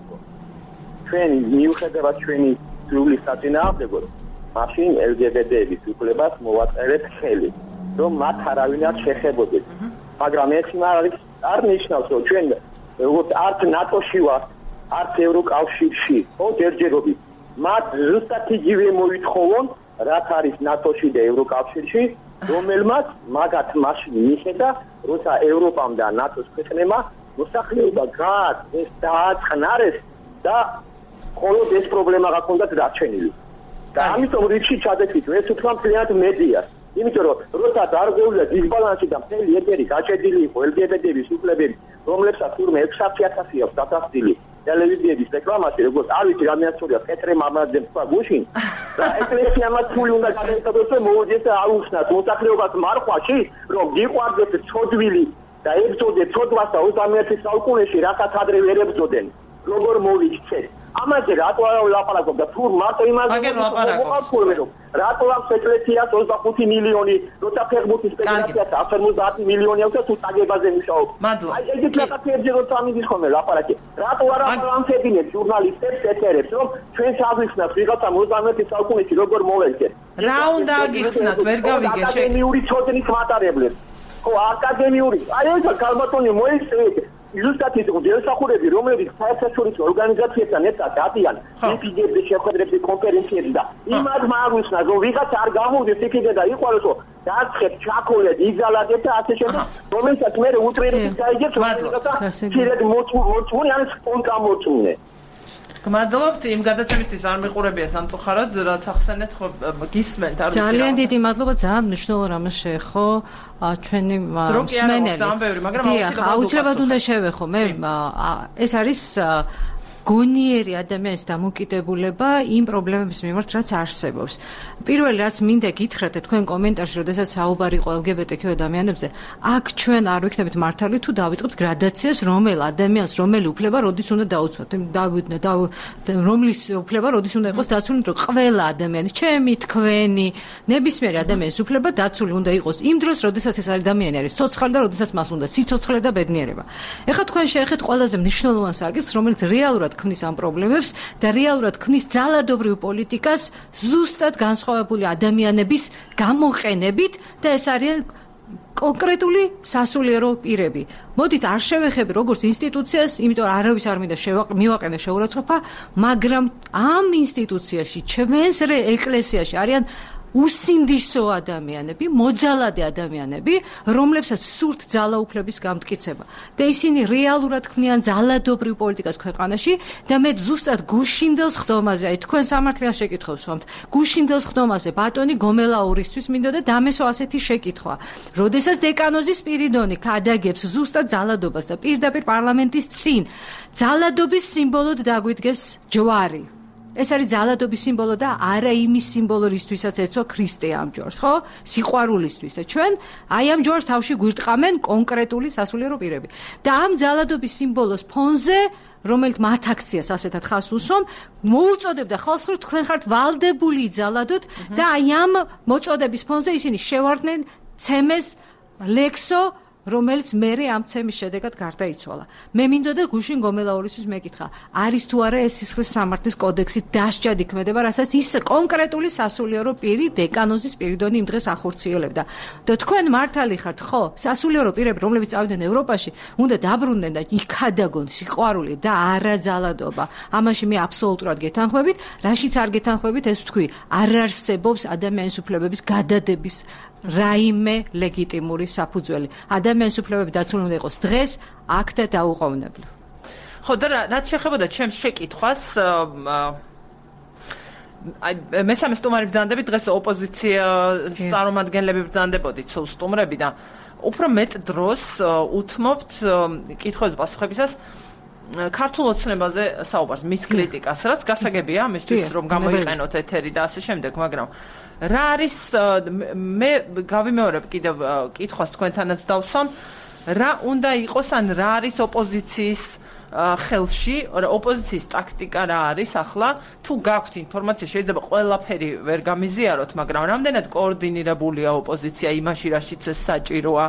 S9: ჩვენ მიუხედავად ჩვენი სრული საწინააღმდეგო, მაშინ LGBT-ების უფლებას მოვაწერეთ ხელი, რომ მათ არავინ არ შეხებოდეს. მაგრამ ეს არ ნიშნავს, რომ ჩვენ როგორც არც ნატოში ვართ, არც ევროკავშირში, ხო ჯერჯერობით. მათ ზუსტად იგივე მოითხოვონ, რაც არის ნატოში და ევროკავშირში, რომელმაც მაგათ მაშინ მიხედა, როცა ევროპამ და ნატოს ქვეყნებმა მოსახლეობა დააწყნარეს და მხოლოდ ეს პრობლემა გაქონდათ დარჩენილი. და ამიტომ რიგში ჩადექით, ეს უფრო მთლიანად მედიას. იმიტომ რომ როცა დარღვევდა დისბალანსი და მთელი ეთერი გაჭედილი იყო LGBT-ების უფლებებით, რომლებსაც თურმე 600,000 აქვს დათანხმდილი ტელევიზიების რეკლამაში, როგორც არ ვიცი რამეაცურია პეტრე მამაძემ თქვა გუშინ და ეკლესიამაც ფული უნდა გადაეცადოს და მოვიდეს და აუხსნათ მოსახლეობას მარხვაში, რომ გიყვარდეს ცოდვილი და ებრძოდეთ ცოდვას და 21 საუკუნეში რასაც ადრე ვერ ებრძოდნენ. როგორ მოვიქცეთ? ამაზე რატო არ ვლაპარაკობ და თუ მარტო იმაზე ვიყავ, რატო აქვს ეკლესიას 25 მილიონი, როცა ფეხბურთის ფედერაციას 150 მილიონი აქვს და თუ წაგებაზე მუშაობ. აი ეგეთ რაღაცებზე როცა ამის ხომ ლაპარაკი. რატო არ ამფებინებს ჟურნალისტებს ეთერებს, რომ ჩვენ საგვიხსნათ ვიღაცა 21 საუკუნეში როგორ მოვექცეთ.
S1: რა უნდა აგიხსნათ, ვერ გავიგე შე.
S9: აკადემიური ცოდნის მატარებლებს. ხო, აკადემიური. აი ეს კალბატონი მოიწევით. ზუსტად ის დიალოგები, რომლებიც საერთაშორისო ორგანიზაციებთან ერთად დადიან ფიზიკების შეხვედრებში, კონფერენციებში და იმად მაგვისნა, რომ ვიღაც არ გამოვიდეს იქიდან და იყვალოსო დაცხეთ, ჩაქოლეთ, იზალადეთ და ასე შემდეგ, რომელსაც მე უტრირებით გაიგებს, რომელსაც შეიძლება მოწმუნე, ან სპონტან მოწმუნე.
S1: გმადლობთ იმ გადაცემისთვის არ მიყურებია სამწუხაროდ რაც ახსენეთ ხო გისმენთ არ ვიცი
S8: ძალიან დიდი მადლობა ძალიან მნიშვნელოვან რამეს შეეხო ჩვენი მსმენელი
S1: მაგრამ
S8: აუცილებლად უნდა შევეხო მე ეს არის გონიერი ადამიანის დამოკიდებულება იმ პრობლემების მიმართ რაც არსებობს. პირველი რაც მინდა გითხრათ თქვენ კომენტარში, როდესაც საუბარი იყო LGBT ადამიანებზე, აქ ჩვენ არ ვიქნებით მართალი თუ დავიწყებთ გრადაციას, რომელ ადამიანს, რომელი უფლება როდის უნდა დაუცვათ. რომლის უფლება როდის უნდა იყოს დაცული, რომ ყველა ადამიანის, ჩემი, თქვენი, ნებისმიერი ადამიანის უფლება დაცული უნდა იყოს იმ დროს, როდესაც ეს ადამიანი არის ცოცხალი და როდესაც მას უნდა სიცოცხლე და ბედნიერება. ეხლა თქვენ შეეხეთ ყველაზე მნიშვნელოვან საკითხს, რომელიც რეალურად ქმნის ამ პრობლემებს და რეალურად ქმნის ძალადობრივ პოლიტიკას ზუსტად განსხვავებული ადამიანების გამოყენებით და ეს არის კონკრეტული სასულიერო პირები. მოდით არ შევეხები როგორც ინსტიტუციას, იმიტომ რომ არავის არ მინდა მივაყენე შეურაცხყოფა, მაგრამ ამ ინსტიტუციაში, ჩვენს ეკლესიაში არიან უსინდისო ადამიანები, მოძალადე ადამიანები, რომლებსაც სურთ ძალაუფლების გამტკიცება. და ისინი რეალურად ქმნიან ძალადობრივ პოლიტიკას ქვეყანაში და მე ზუსტად გუშინდელს ხდომაზე, აი თქვენ სამართლიან შეკითხვებს ვამთ, გუშინდელს ხდომაზე ბატონი გომელაურისთვის მინდოდა დამესო ასეთი შეკითხვა. როდესაც დეკანოზი სპირიდონი გადაგებს ზუსტად ძალადობას და პირდაპირ პარლამენტის წინ ძალადობის სიმბოლოდ დაგვიდგეს ჯვარი. ეს არის ძალადობის სიმბოლო და არა იმის სიმბოლო, რისთვისაც ეცვა ქრისტე ამ ჯვარს, ხო? სიყვარულისთვის. და ჩვენ აი ამ ჯვარს თავში გვირტყამენ კონკრეტული სასულიერო პირები. და ამ ძალადობის სიმბოლოს ფონზე, რომელიც მათ აქციას ასეთად ხას უსვამ, მოუწოდებდა ხალხს, რომ თქვენ ხართ ვალდებული ძალადოთ და აი ამ მოწოდების ფონზე ისინი შევარდნენ ცემეს ლექსო, რომელიც მერე ამ ცემის შედეგად გარდაიცვალა. მე მინდოდა გუშინ გომელაურისთვის მეკითხა, არის თუ არა ეს სისხლის სამართლის კოდექსით დასჯად იქმედება, რასაც ის კონკრეტული სასულიერო პირი დეკანოზი სპირიდონი იმ დღეს ახორციელებდა. და თქვენ მართალი ხართ, ხო? სასულიერო პირები, რომლებიც წავიდნენ ევროპაში, უნდა დაბრუნდნენ და იქადაგონ სიყვარული და არა ძალადობა. ამაში მე აბსოლუტურად გეთანხმებით, რაშიც არ გეთანხმებით, ეს თქვი, არ არსებობს ადამიანის უფლებების გადადების რაიმე ლეგიტიმური საფუძველი. ადამიანის უფლებები დაცული უნდა იყოს დღეს, აქ და დაუყოვნებლივ.
S1: ხო და რაც შეეხებოდა ჩემს შეკითხვას, მესამე სტუმარი ბრძანდებით დღეს ოპოზიციას წარმომადგენლები ბრძანდებოდით სულ სტუმრები და უფრო მეტ დროს უთმობთ კითხვებზე პასუხებისას ქართულ ოცნებაზე საუბარს, მის კრიტიკას, რაც გასაგებია ამისთვის რომ გამოიყენოთ ეთერი და ასე შემდეგ, მაგრამ რა არის მე გავიმეორებ კიდევ კითხვას თქვენთანაც დავსვამ, რა უნდა იყოს ან რა არის ოპოზიციის ხელში, ოპოზიციის ტაქტიკა რა არის ახლა, თუ გაქვთ ინფორმაცია, შეიძლება ყველაფერი ვერ გამიზიაროთ, მაგრამ რამდენად კოორდინირებულია ოპოზიცია იმაში, რაშიც ეს საჭიროა.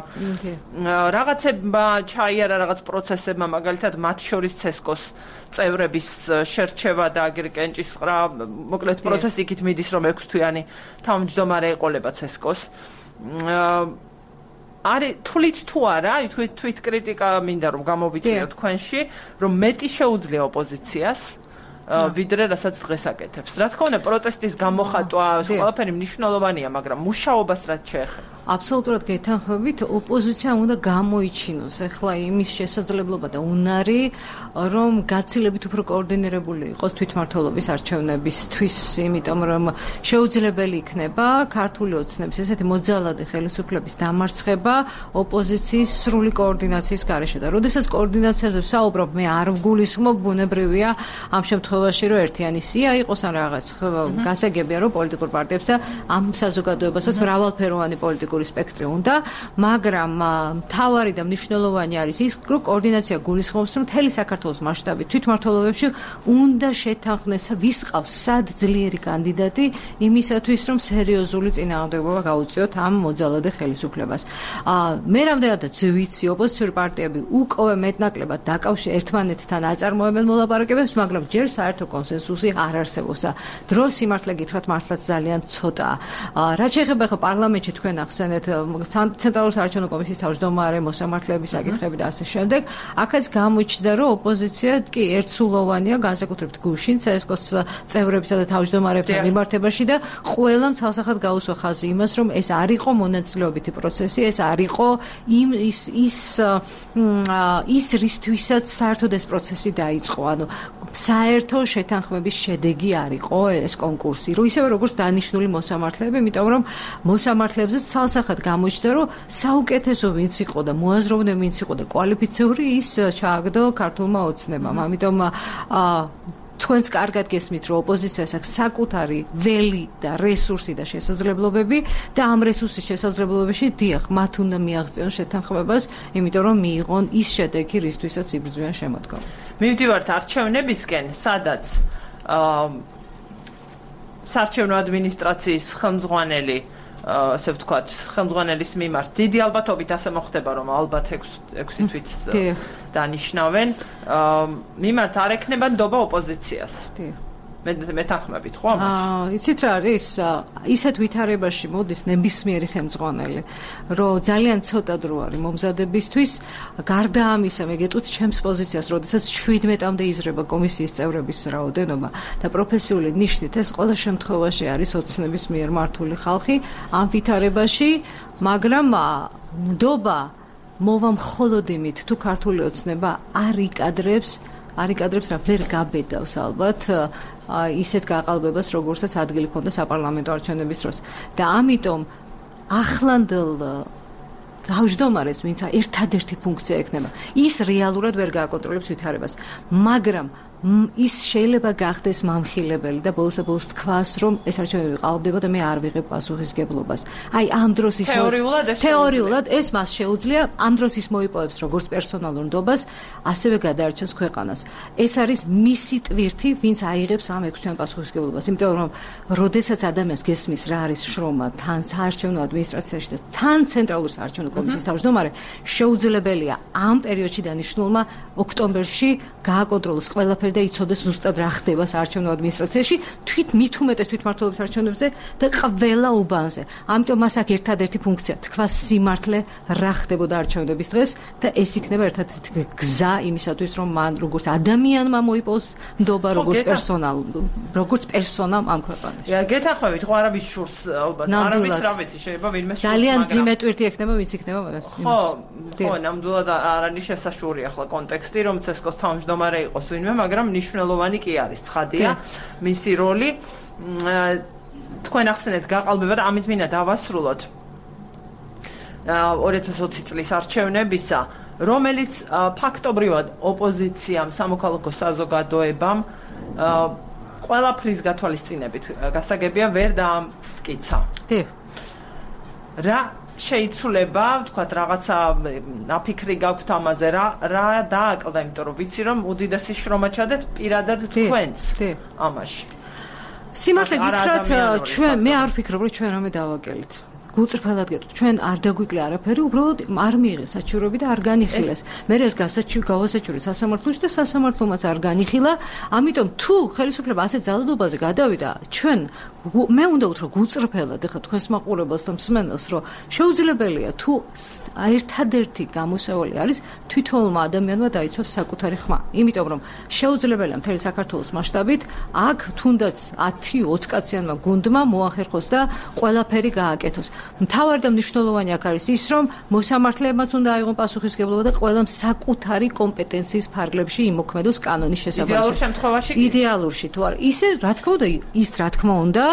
S1: რაღაცებმა ჩაიარა რაღაც პროცესებმა, მაგალითად, მათ შორის ცესკოს წევრების შერჩევა და აგერკენჭისყრა, მოკლედ პროცესი იქით მიდის, რომ 6 თვიანი თავმჯდომარე ეყოლება ცესკოს. არის თulit თუ არა, თვით კრიტიკა მინდა რომ გამოვიწიოთ თქვენში, რომ მეტი შეუძლია ოპოზიციას ვიდრე რასაც დღეს აკეთებს. რა თქმა უნდა, პროტესტის გამოხატვა ყველაფერი მნიშვნელოვანია, მაგრამ მუშაობას რაც შეეხება.
S8: აბსოლუტურად გეთანხმებით, ოპოზიციამ უნდა გამოიჩინოს ახლა იმის შესაძლებლობა და უნარი, რომ გაცილებით უფრო კოორდინირებული იყოს თვითმმართველობის არჩევნებისთვის, იმიტომ რომ შეუძლებელი იქნება ქართული ოცნების ესეთი მოძალადე ხელისუფლების დამარცხება ოპოზიციის სრული კოორდინაციის გარეშე და როდესაც კოორდინაციაზე ვსაუბრობ, მე არ ვგულისხმობ, ბუნებრივია ამ შემთხვევაში რომ ერთიანი სია იყოს ან რაღაც გასაგებია რომ პოლიტიკურ პარტიებს და ამ საზოგადოებასაც მრავალფეროვანი პოლიტიკური სპექტრი უნდა, მაგრამ მთავარი და მნიშვნელოვანი არის ის, რომ კოორდინაცია გულისხმობს, რომ მთელი საქართველოს მასშტაბით თვითმმართველობებში უნდა შეთანხმდეს, ვის ყავს სად ძლიერი კანდიდატი იმისათვის, რომ სერიოზული წინააღმდეგობა გაუწიოთ ამ მოძალადე ხელისუფლებას. მე რამდენადაც ვიცი, ოპოზიციური პარტიები უკვე მეტნაკლებად დაკავშირებულ ერთმანეთთან აწარმოებენ მოლაპარაკებებს, მაგრამ ჯერ საერთო კონსენსუსი არ არსებობს და დრო სიმართლე გითხრათ მართლაც ძალიან ცოტაა. რაც შეეხება ხო პარლამენტში თქვენ ახსენეთ ცენტრალური საარჩევნო კომისიის თავმჯდომარე მოსამართლეების საკითხები და ასე შემდეგ, აქაც გამოჩნდა, რომ ოპოზიცია კი ერთსულოვანია, განსაკუთრებით გუშინ CSKOS წევრებისა და თავმჯდომარეებთან მიმართებაში და ყველამ ცალსახად გაუსვა ხაზი იმას, რომ ეს არ იყო მონაწილეობითი პროცესი, ეს არ იყო ის რისთვისაც საერთოდ ეს პროცესი დაიწყო. ანუ საერთო შეთანხმების შედეგი არ იყო ეს კონკურსი, რომ ისევე როგორც დანიშნული მოსამართლეები, იმიტომ რომ მოსამართლეებზე ცალსახად გამოჩნდა, რომ საუკეთესო ვინც იყო და მოაზროვნე ვინც იყო და კვალიფიციური ის ჩააგდო ქართულმა ოცნებამ. ამიტომ თქვენც კარგად გესმით, რომ ოპოზიციას აქვს საკუთარი ველი და რესურსი და შესაძლებლობები და ამ რესურსის შესაძლებლობებში დიახ, მათ უნდა მიაღწიონ შეთანხმებას, იმიტომ რომ მიიღონ ის შედეგი, რისთვისაც იბრძვიან შემოდგომას.
S1: მივდივართ არჩევნებისკენ, სადაც საარჩევნო ადმინისტრაციის ხელმძღვანელი ასე ვთქვათ, ხელმძღვანელის მიმართ დიდი ალბათობით ასე მოხდება, რომ ალბათ 6 თვით დანიშნავენ, მიმართ არ ექნება ნდობა ოპოზიციას. მე თანხმებით, ხო ამაში?
S8: იცით რა არის? ისეთ ვითარებაში მოდის ნებისმიერი ხელმძღვანელი, რომ ძალიან ცოტა დრო არის მომზადებისთვის, გარდა ამისა, მე გეტყვით ჩემს პოზიციას, როდესაც 17-მდე იზრდება კომისიის წევრების რაოდენობა და პროფესიული ნიშნით ეს ყველა შემთხვევაში არის ოცნების მიერ მართული ხალხი ამ ვითარებაში, მაგრამ ნდობა მოვა მხოლოდ იმით, თუ ქართული ოცნება არ იკადრებს რა ვერ გაბედავს ალბათ ისეთ გაყალბებას, როგორცაც ადგილი ჰქონდა საპარლამენტო არჩევნების დროს. და ამიტომ ახლანდელ თავმჯდომარეს, ვინც ერთადერთი ფუნქცია ექნება, ის რეალურად ვერ გააკონტროლებს ვითარებას, მაგრამ ის შეიძლება გახდეს მამხილებელი და ბოლოს თქვას, რომ ეს არჩევნები ყალბდება და მე არ ვიღებ პასუხისგებლობას. აი ამ დროს ის თეორიულად ეს მას შეუძლია, ამ დროს ის მოიპოვებს როგორც პერსონალურ ნდობას, ასევე გადაარჩენს ქვეყანას. ეს არის მისი ტვირთი, ვინც აიღებს ამ 6 თვიან პასუხისგებლობას, იმიტომ რომ როდესაც ადამიანს გესმის რა არის შრომა თან საარჩევნო ადმინისტრაციაში და თან ცენტრალურ საარჩევნო კომისიის თავმჯდომარე, შეუძლებელია ამ პერიოდში დანიშნულმა ოქტომბერში გააკონტროლოს ყველაფერი და იცოდეს ზუსტად რა ხდება საარჩევნო ადმინისტრაციაში, მით უმეტეს თვითმმართველობის არჩევნებზე და ყველა უბანზე. ამიტომ მას აქვს ერთადერთი ფუნქცია, თქვას სიმართლე რა ხდებოდა არჩევნების დღეს და ეს იქნება ერთადერთი გზა იმისათვის, რომ მან როგორც ადამიანმა მოიპოვოს ნდობა, როგორც პერსონამ ამ ქვეყანაში.
S1: გეთანხმებით, ხო არავის შურს ალბათ, არავის რა ვიცი, შეიძლება ვინმე შურს,
S8: ძალიან ძიმე ტვირთი ექნება, ვინც იქნება მას.
S1: ხო, ნამდვილად არ არის შესაშური ახლა კონტექსტი, რომ CSKOS თავმჯდომარე თავმჯდომარე იყოს ვინმე, მაგრამ მნიშვნელოვანი კი არის, ცხადია მისი როლი. თქვენ ახსენეთ გაყალბება და ამით მინდა დავასრულოთ 2020 წლის არჩევნებისა, რომელიც ფაქტობრივად ოპოზიციამ, სამოქალაქო საზოგადოებამ ყველაფრის გათვალისწინებით გასაგებია ვერ დაამტკიცა. რა შეიცვლება, თქვათ, რაღაცა აფიქრი გაქვთ ამაზე, რა დააკლდა, იმიტომ რომ ვიცი რომ უდიდესი შრომა ჩადეთ პირადად თქვენს ამაში.
S8: სიმართლე გითხრათ, მე არ ვფიქრობ, რომ ჩვენ რამე დავაკელით. გულწრფელად გეტყვით, ჩვენ არ დაგვიკლე არაფერი, უბრალოდ არ მიიღეს საჩივრები და არ განიხილეს. მე ეს გავასაჩივრე სასამართლოში და სასამართლომაც არ განიხილა. ამიტომ თუ ხელისუფლება ასე ძალადობაზე გადავიდა, ჩვენ მე უნდა უთრო გულწრფელად, ეხლა თქვენს მაყურებელს და მსმენელს, რომ შეუძლებელია თუ ერთადერთი გამოსავალი არის თვითონმა ადამიანმა დაიცვას საკუთარი ხმა. იმიტომ რომ შეუძლებელია მთელი საქართველოს მასშტაბით აქ თუნდაც 10-20 კაციანმა გუნდმა მოახერხოს და ყველაფერი გააკეთოს. მთავარი და მნიშვნელოვანი აქ არის ის, რომ მოსამართლეებმაც უნდა აიღონ პასუხისმგებლობა და ყველამ საკუთარი კომპეტენციის ფარგლებში იმოქმედოს კანონის შესაბამისად.
S1: იდეალურ შემთხვევაში
S8: იდეალურში თუ არა, ისე რა თქმა უნდა, ის რა თქმა უნდა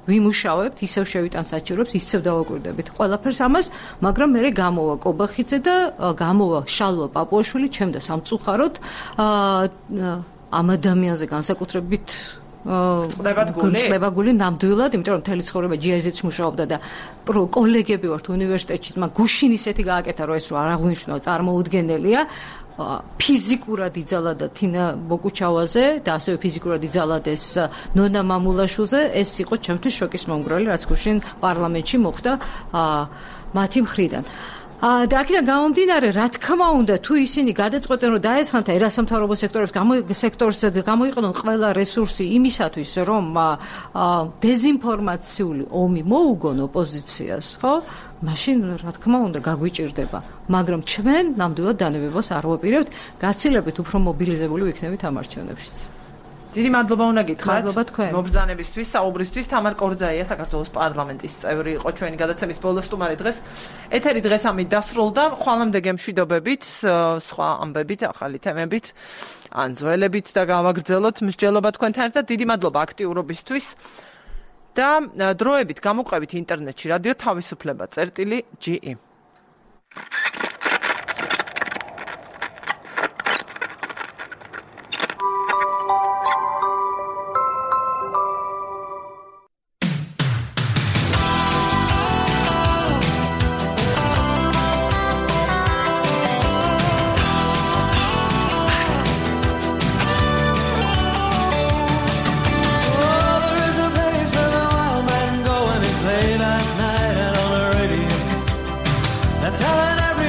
S8: ვიმუშავებთ, ისევ შევიტან საჩივრებს, ისევ დავაკვირდებით ყველაფერს ამას, მაგრამ მე გამოვა კობახიძე და გამოვა შალვა პაპუაშვილი, ჩემ და სამწუხაროდ ამ ადამიანზე განსაკუთრებით წყლებაგული ნამდვილად, იმიტომ რომ მთელი ცხოვრება GIZ-ში მუშაობდა და კოლეგები ვართ უნივერსიტეტში, მაგრამ გუშინ ისეთი გააკეთა, რომ ეს რო არ აღნიშნო წარმოუდგენელია. ფიზიკურად იძალა თინა ბოკუჩავაზე და ასევე ფიზიკურად იძალადეს ნონა მამულაშვილზე, ეს იყო ჩემთვის შოკის მომგვრელი, რაც გუშინ პარლამენტში მოხდა მათი მხრიდან. და აქედან გამომდინარე, რა თქმა უნდა, თუ ისინი გადაწყვეტენ, რომ დაესხათ ერასამთავრობო სექტორს გამოიყენონ ყველა რესურსი იმისათვის, რომ დეზინფორმაციული ომი მოუგონ ოპოზიციას, ხო? მაშინ რა თქმა უნდა გაგვიჭირდება, მაგრამ ჩვენ ნამდვილად დანებებას არ ვაპირებთ, გაცილებით უფრო მობილიზებული ვიქნებით ამ არჩევნებშიც.
S1: დიდი მადლობა უნდა გითხრათ.
S8: მადლობა თქვენ.
S1: მობრძანებისთვის, საუბრისთვის. თამარ კორძაია, საქართველოს პარლამენტის წევრი იყო ჩვენი გადაცემის ბოლო სტუმარი დღეს. ეთერი დღეს ამით დასრულდა. ხვალამდე გემშვიდობებით, სხვა ამბებით, ახალი თემებით, ან ძველებით და გავაგრძელოთ მსჯელობა თქვენთან ერთად. დიდი მადლობა აქტიურობისთვის. და დროებით გამოყვებით ინტერნეტში რადიო თავისუფლება.ge
S10: Telling everyone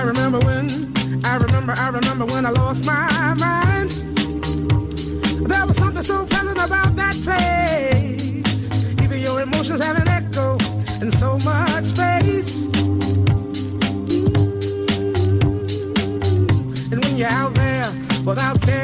S10: remember when I lost my mind. There was something so pleasant about that place. Even your emotions have an echo in so much space. And when you're out there without care.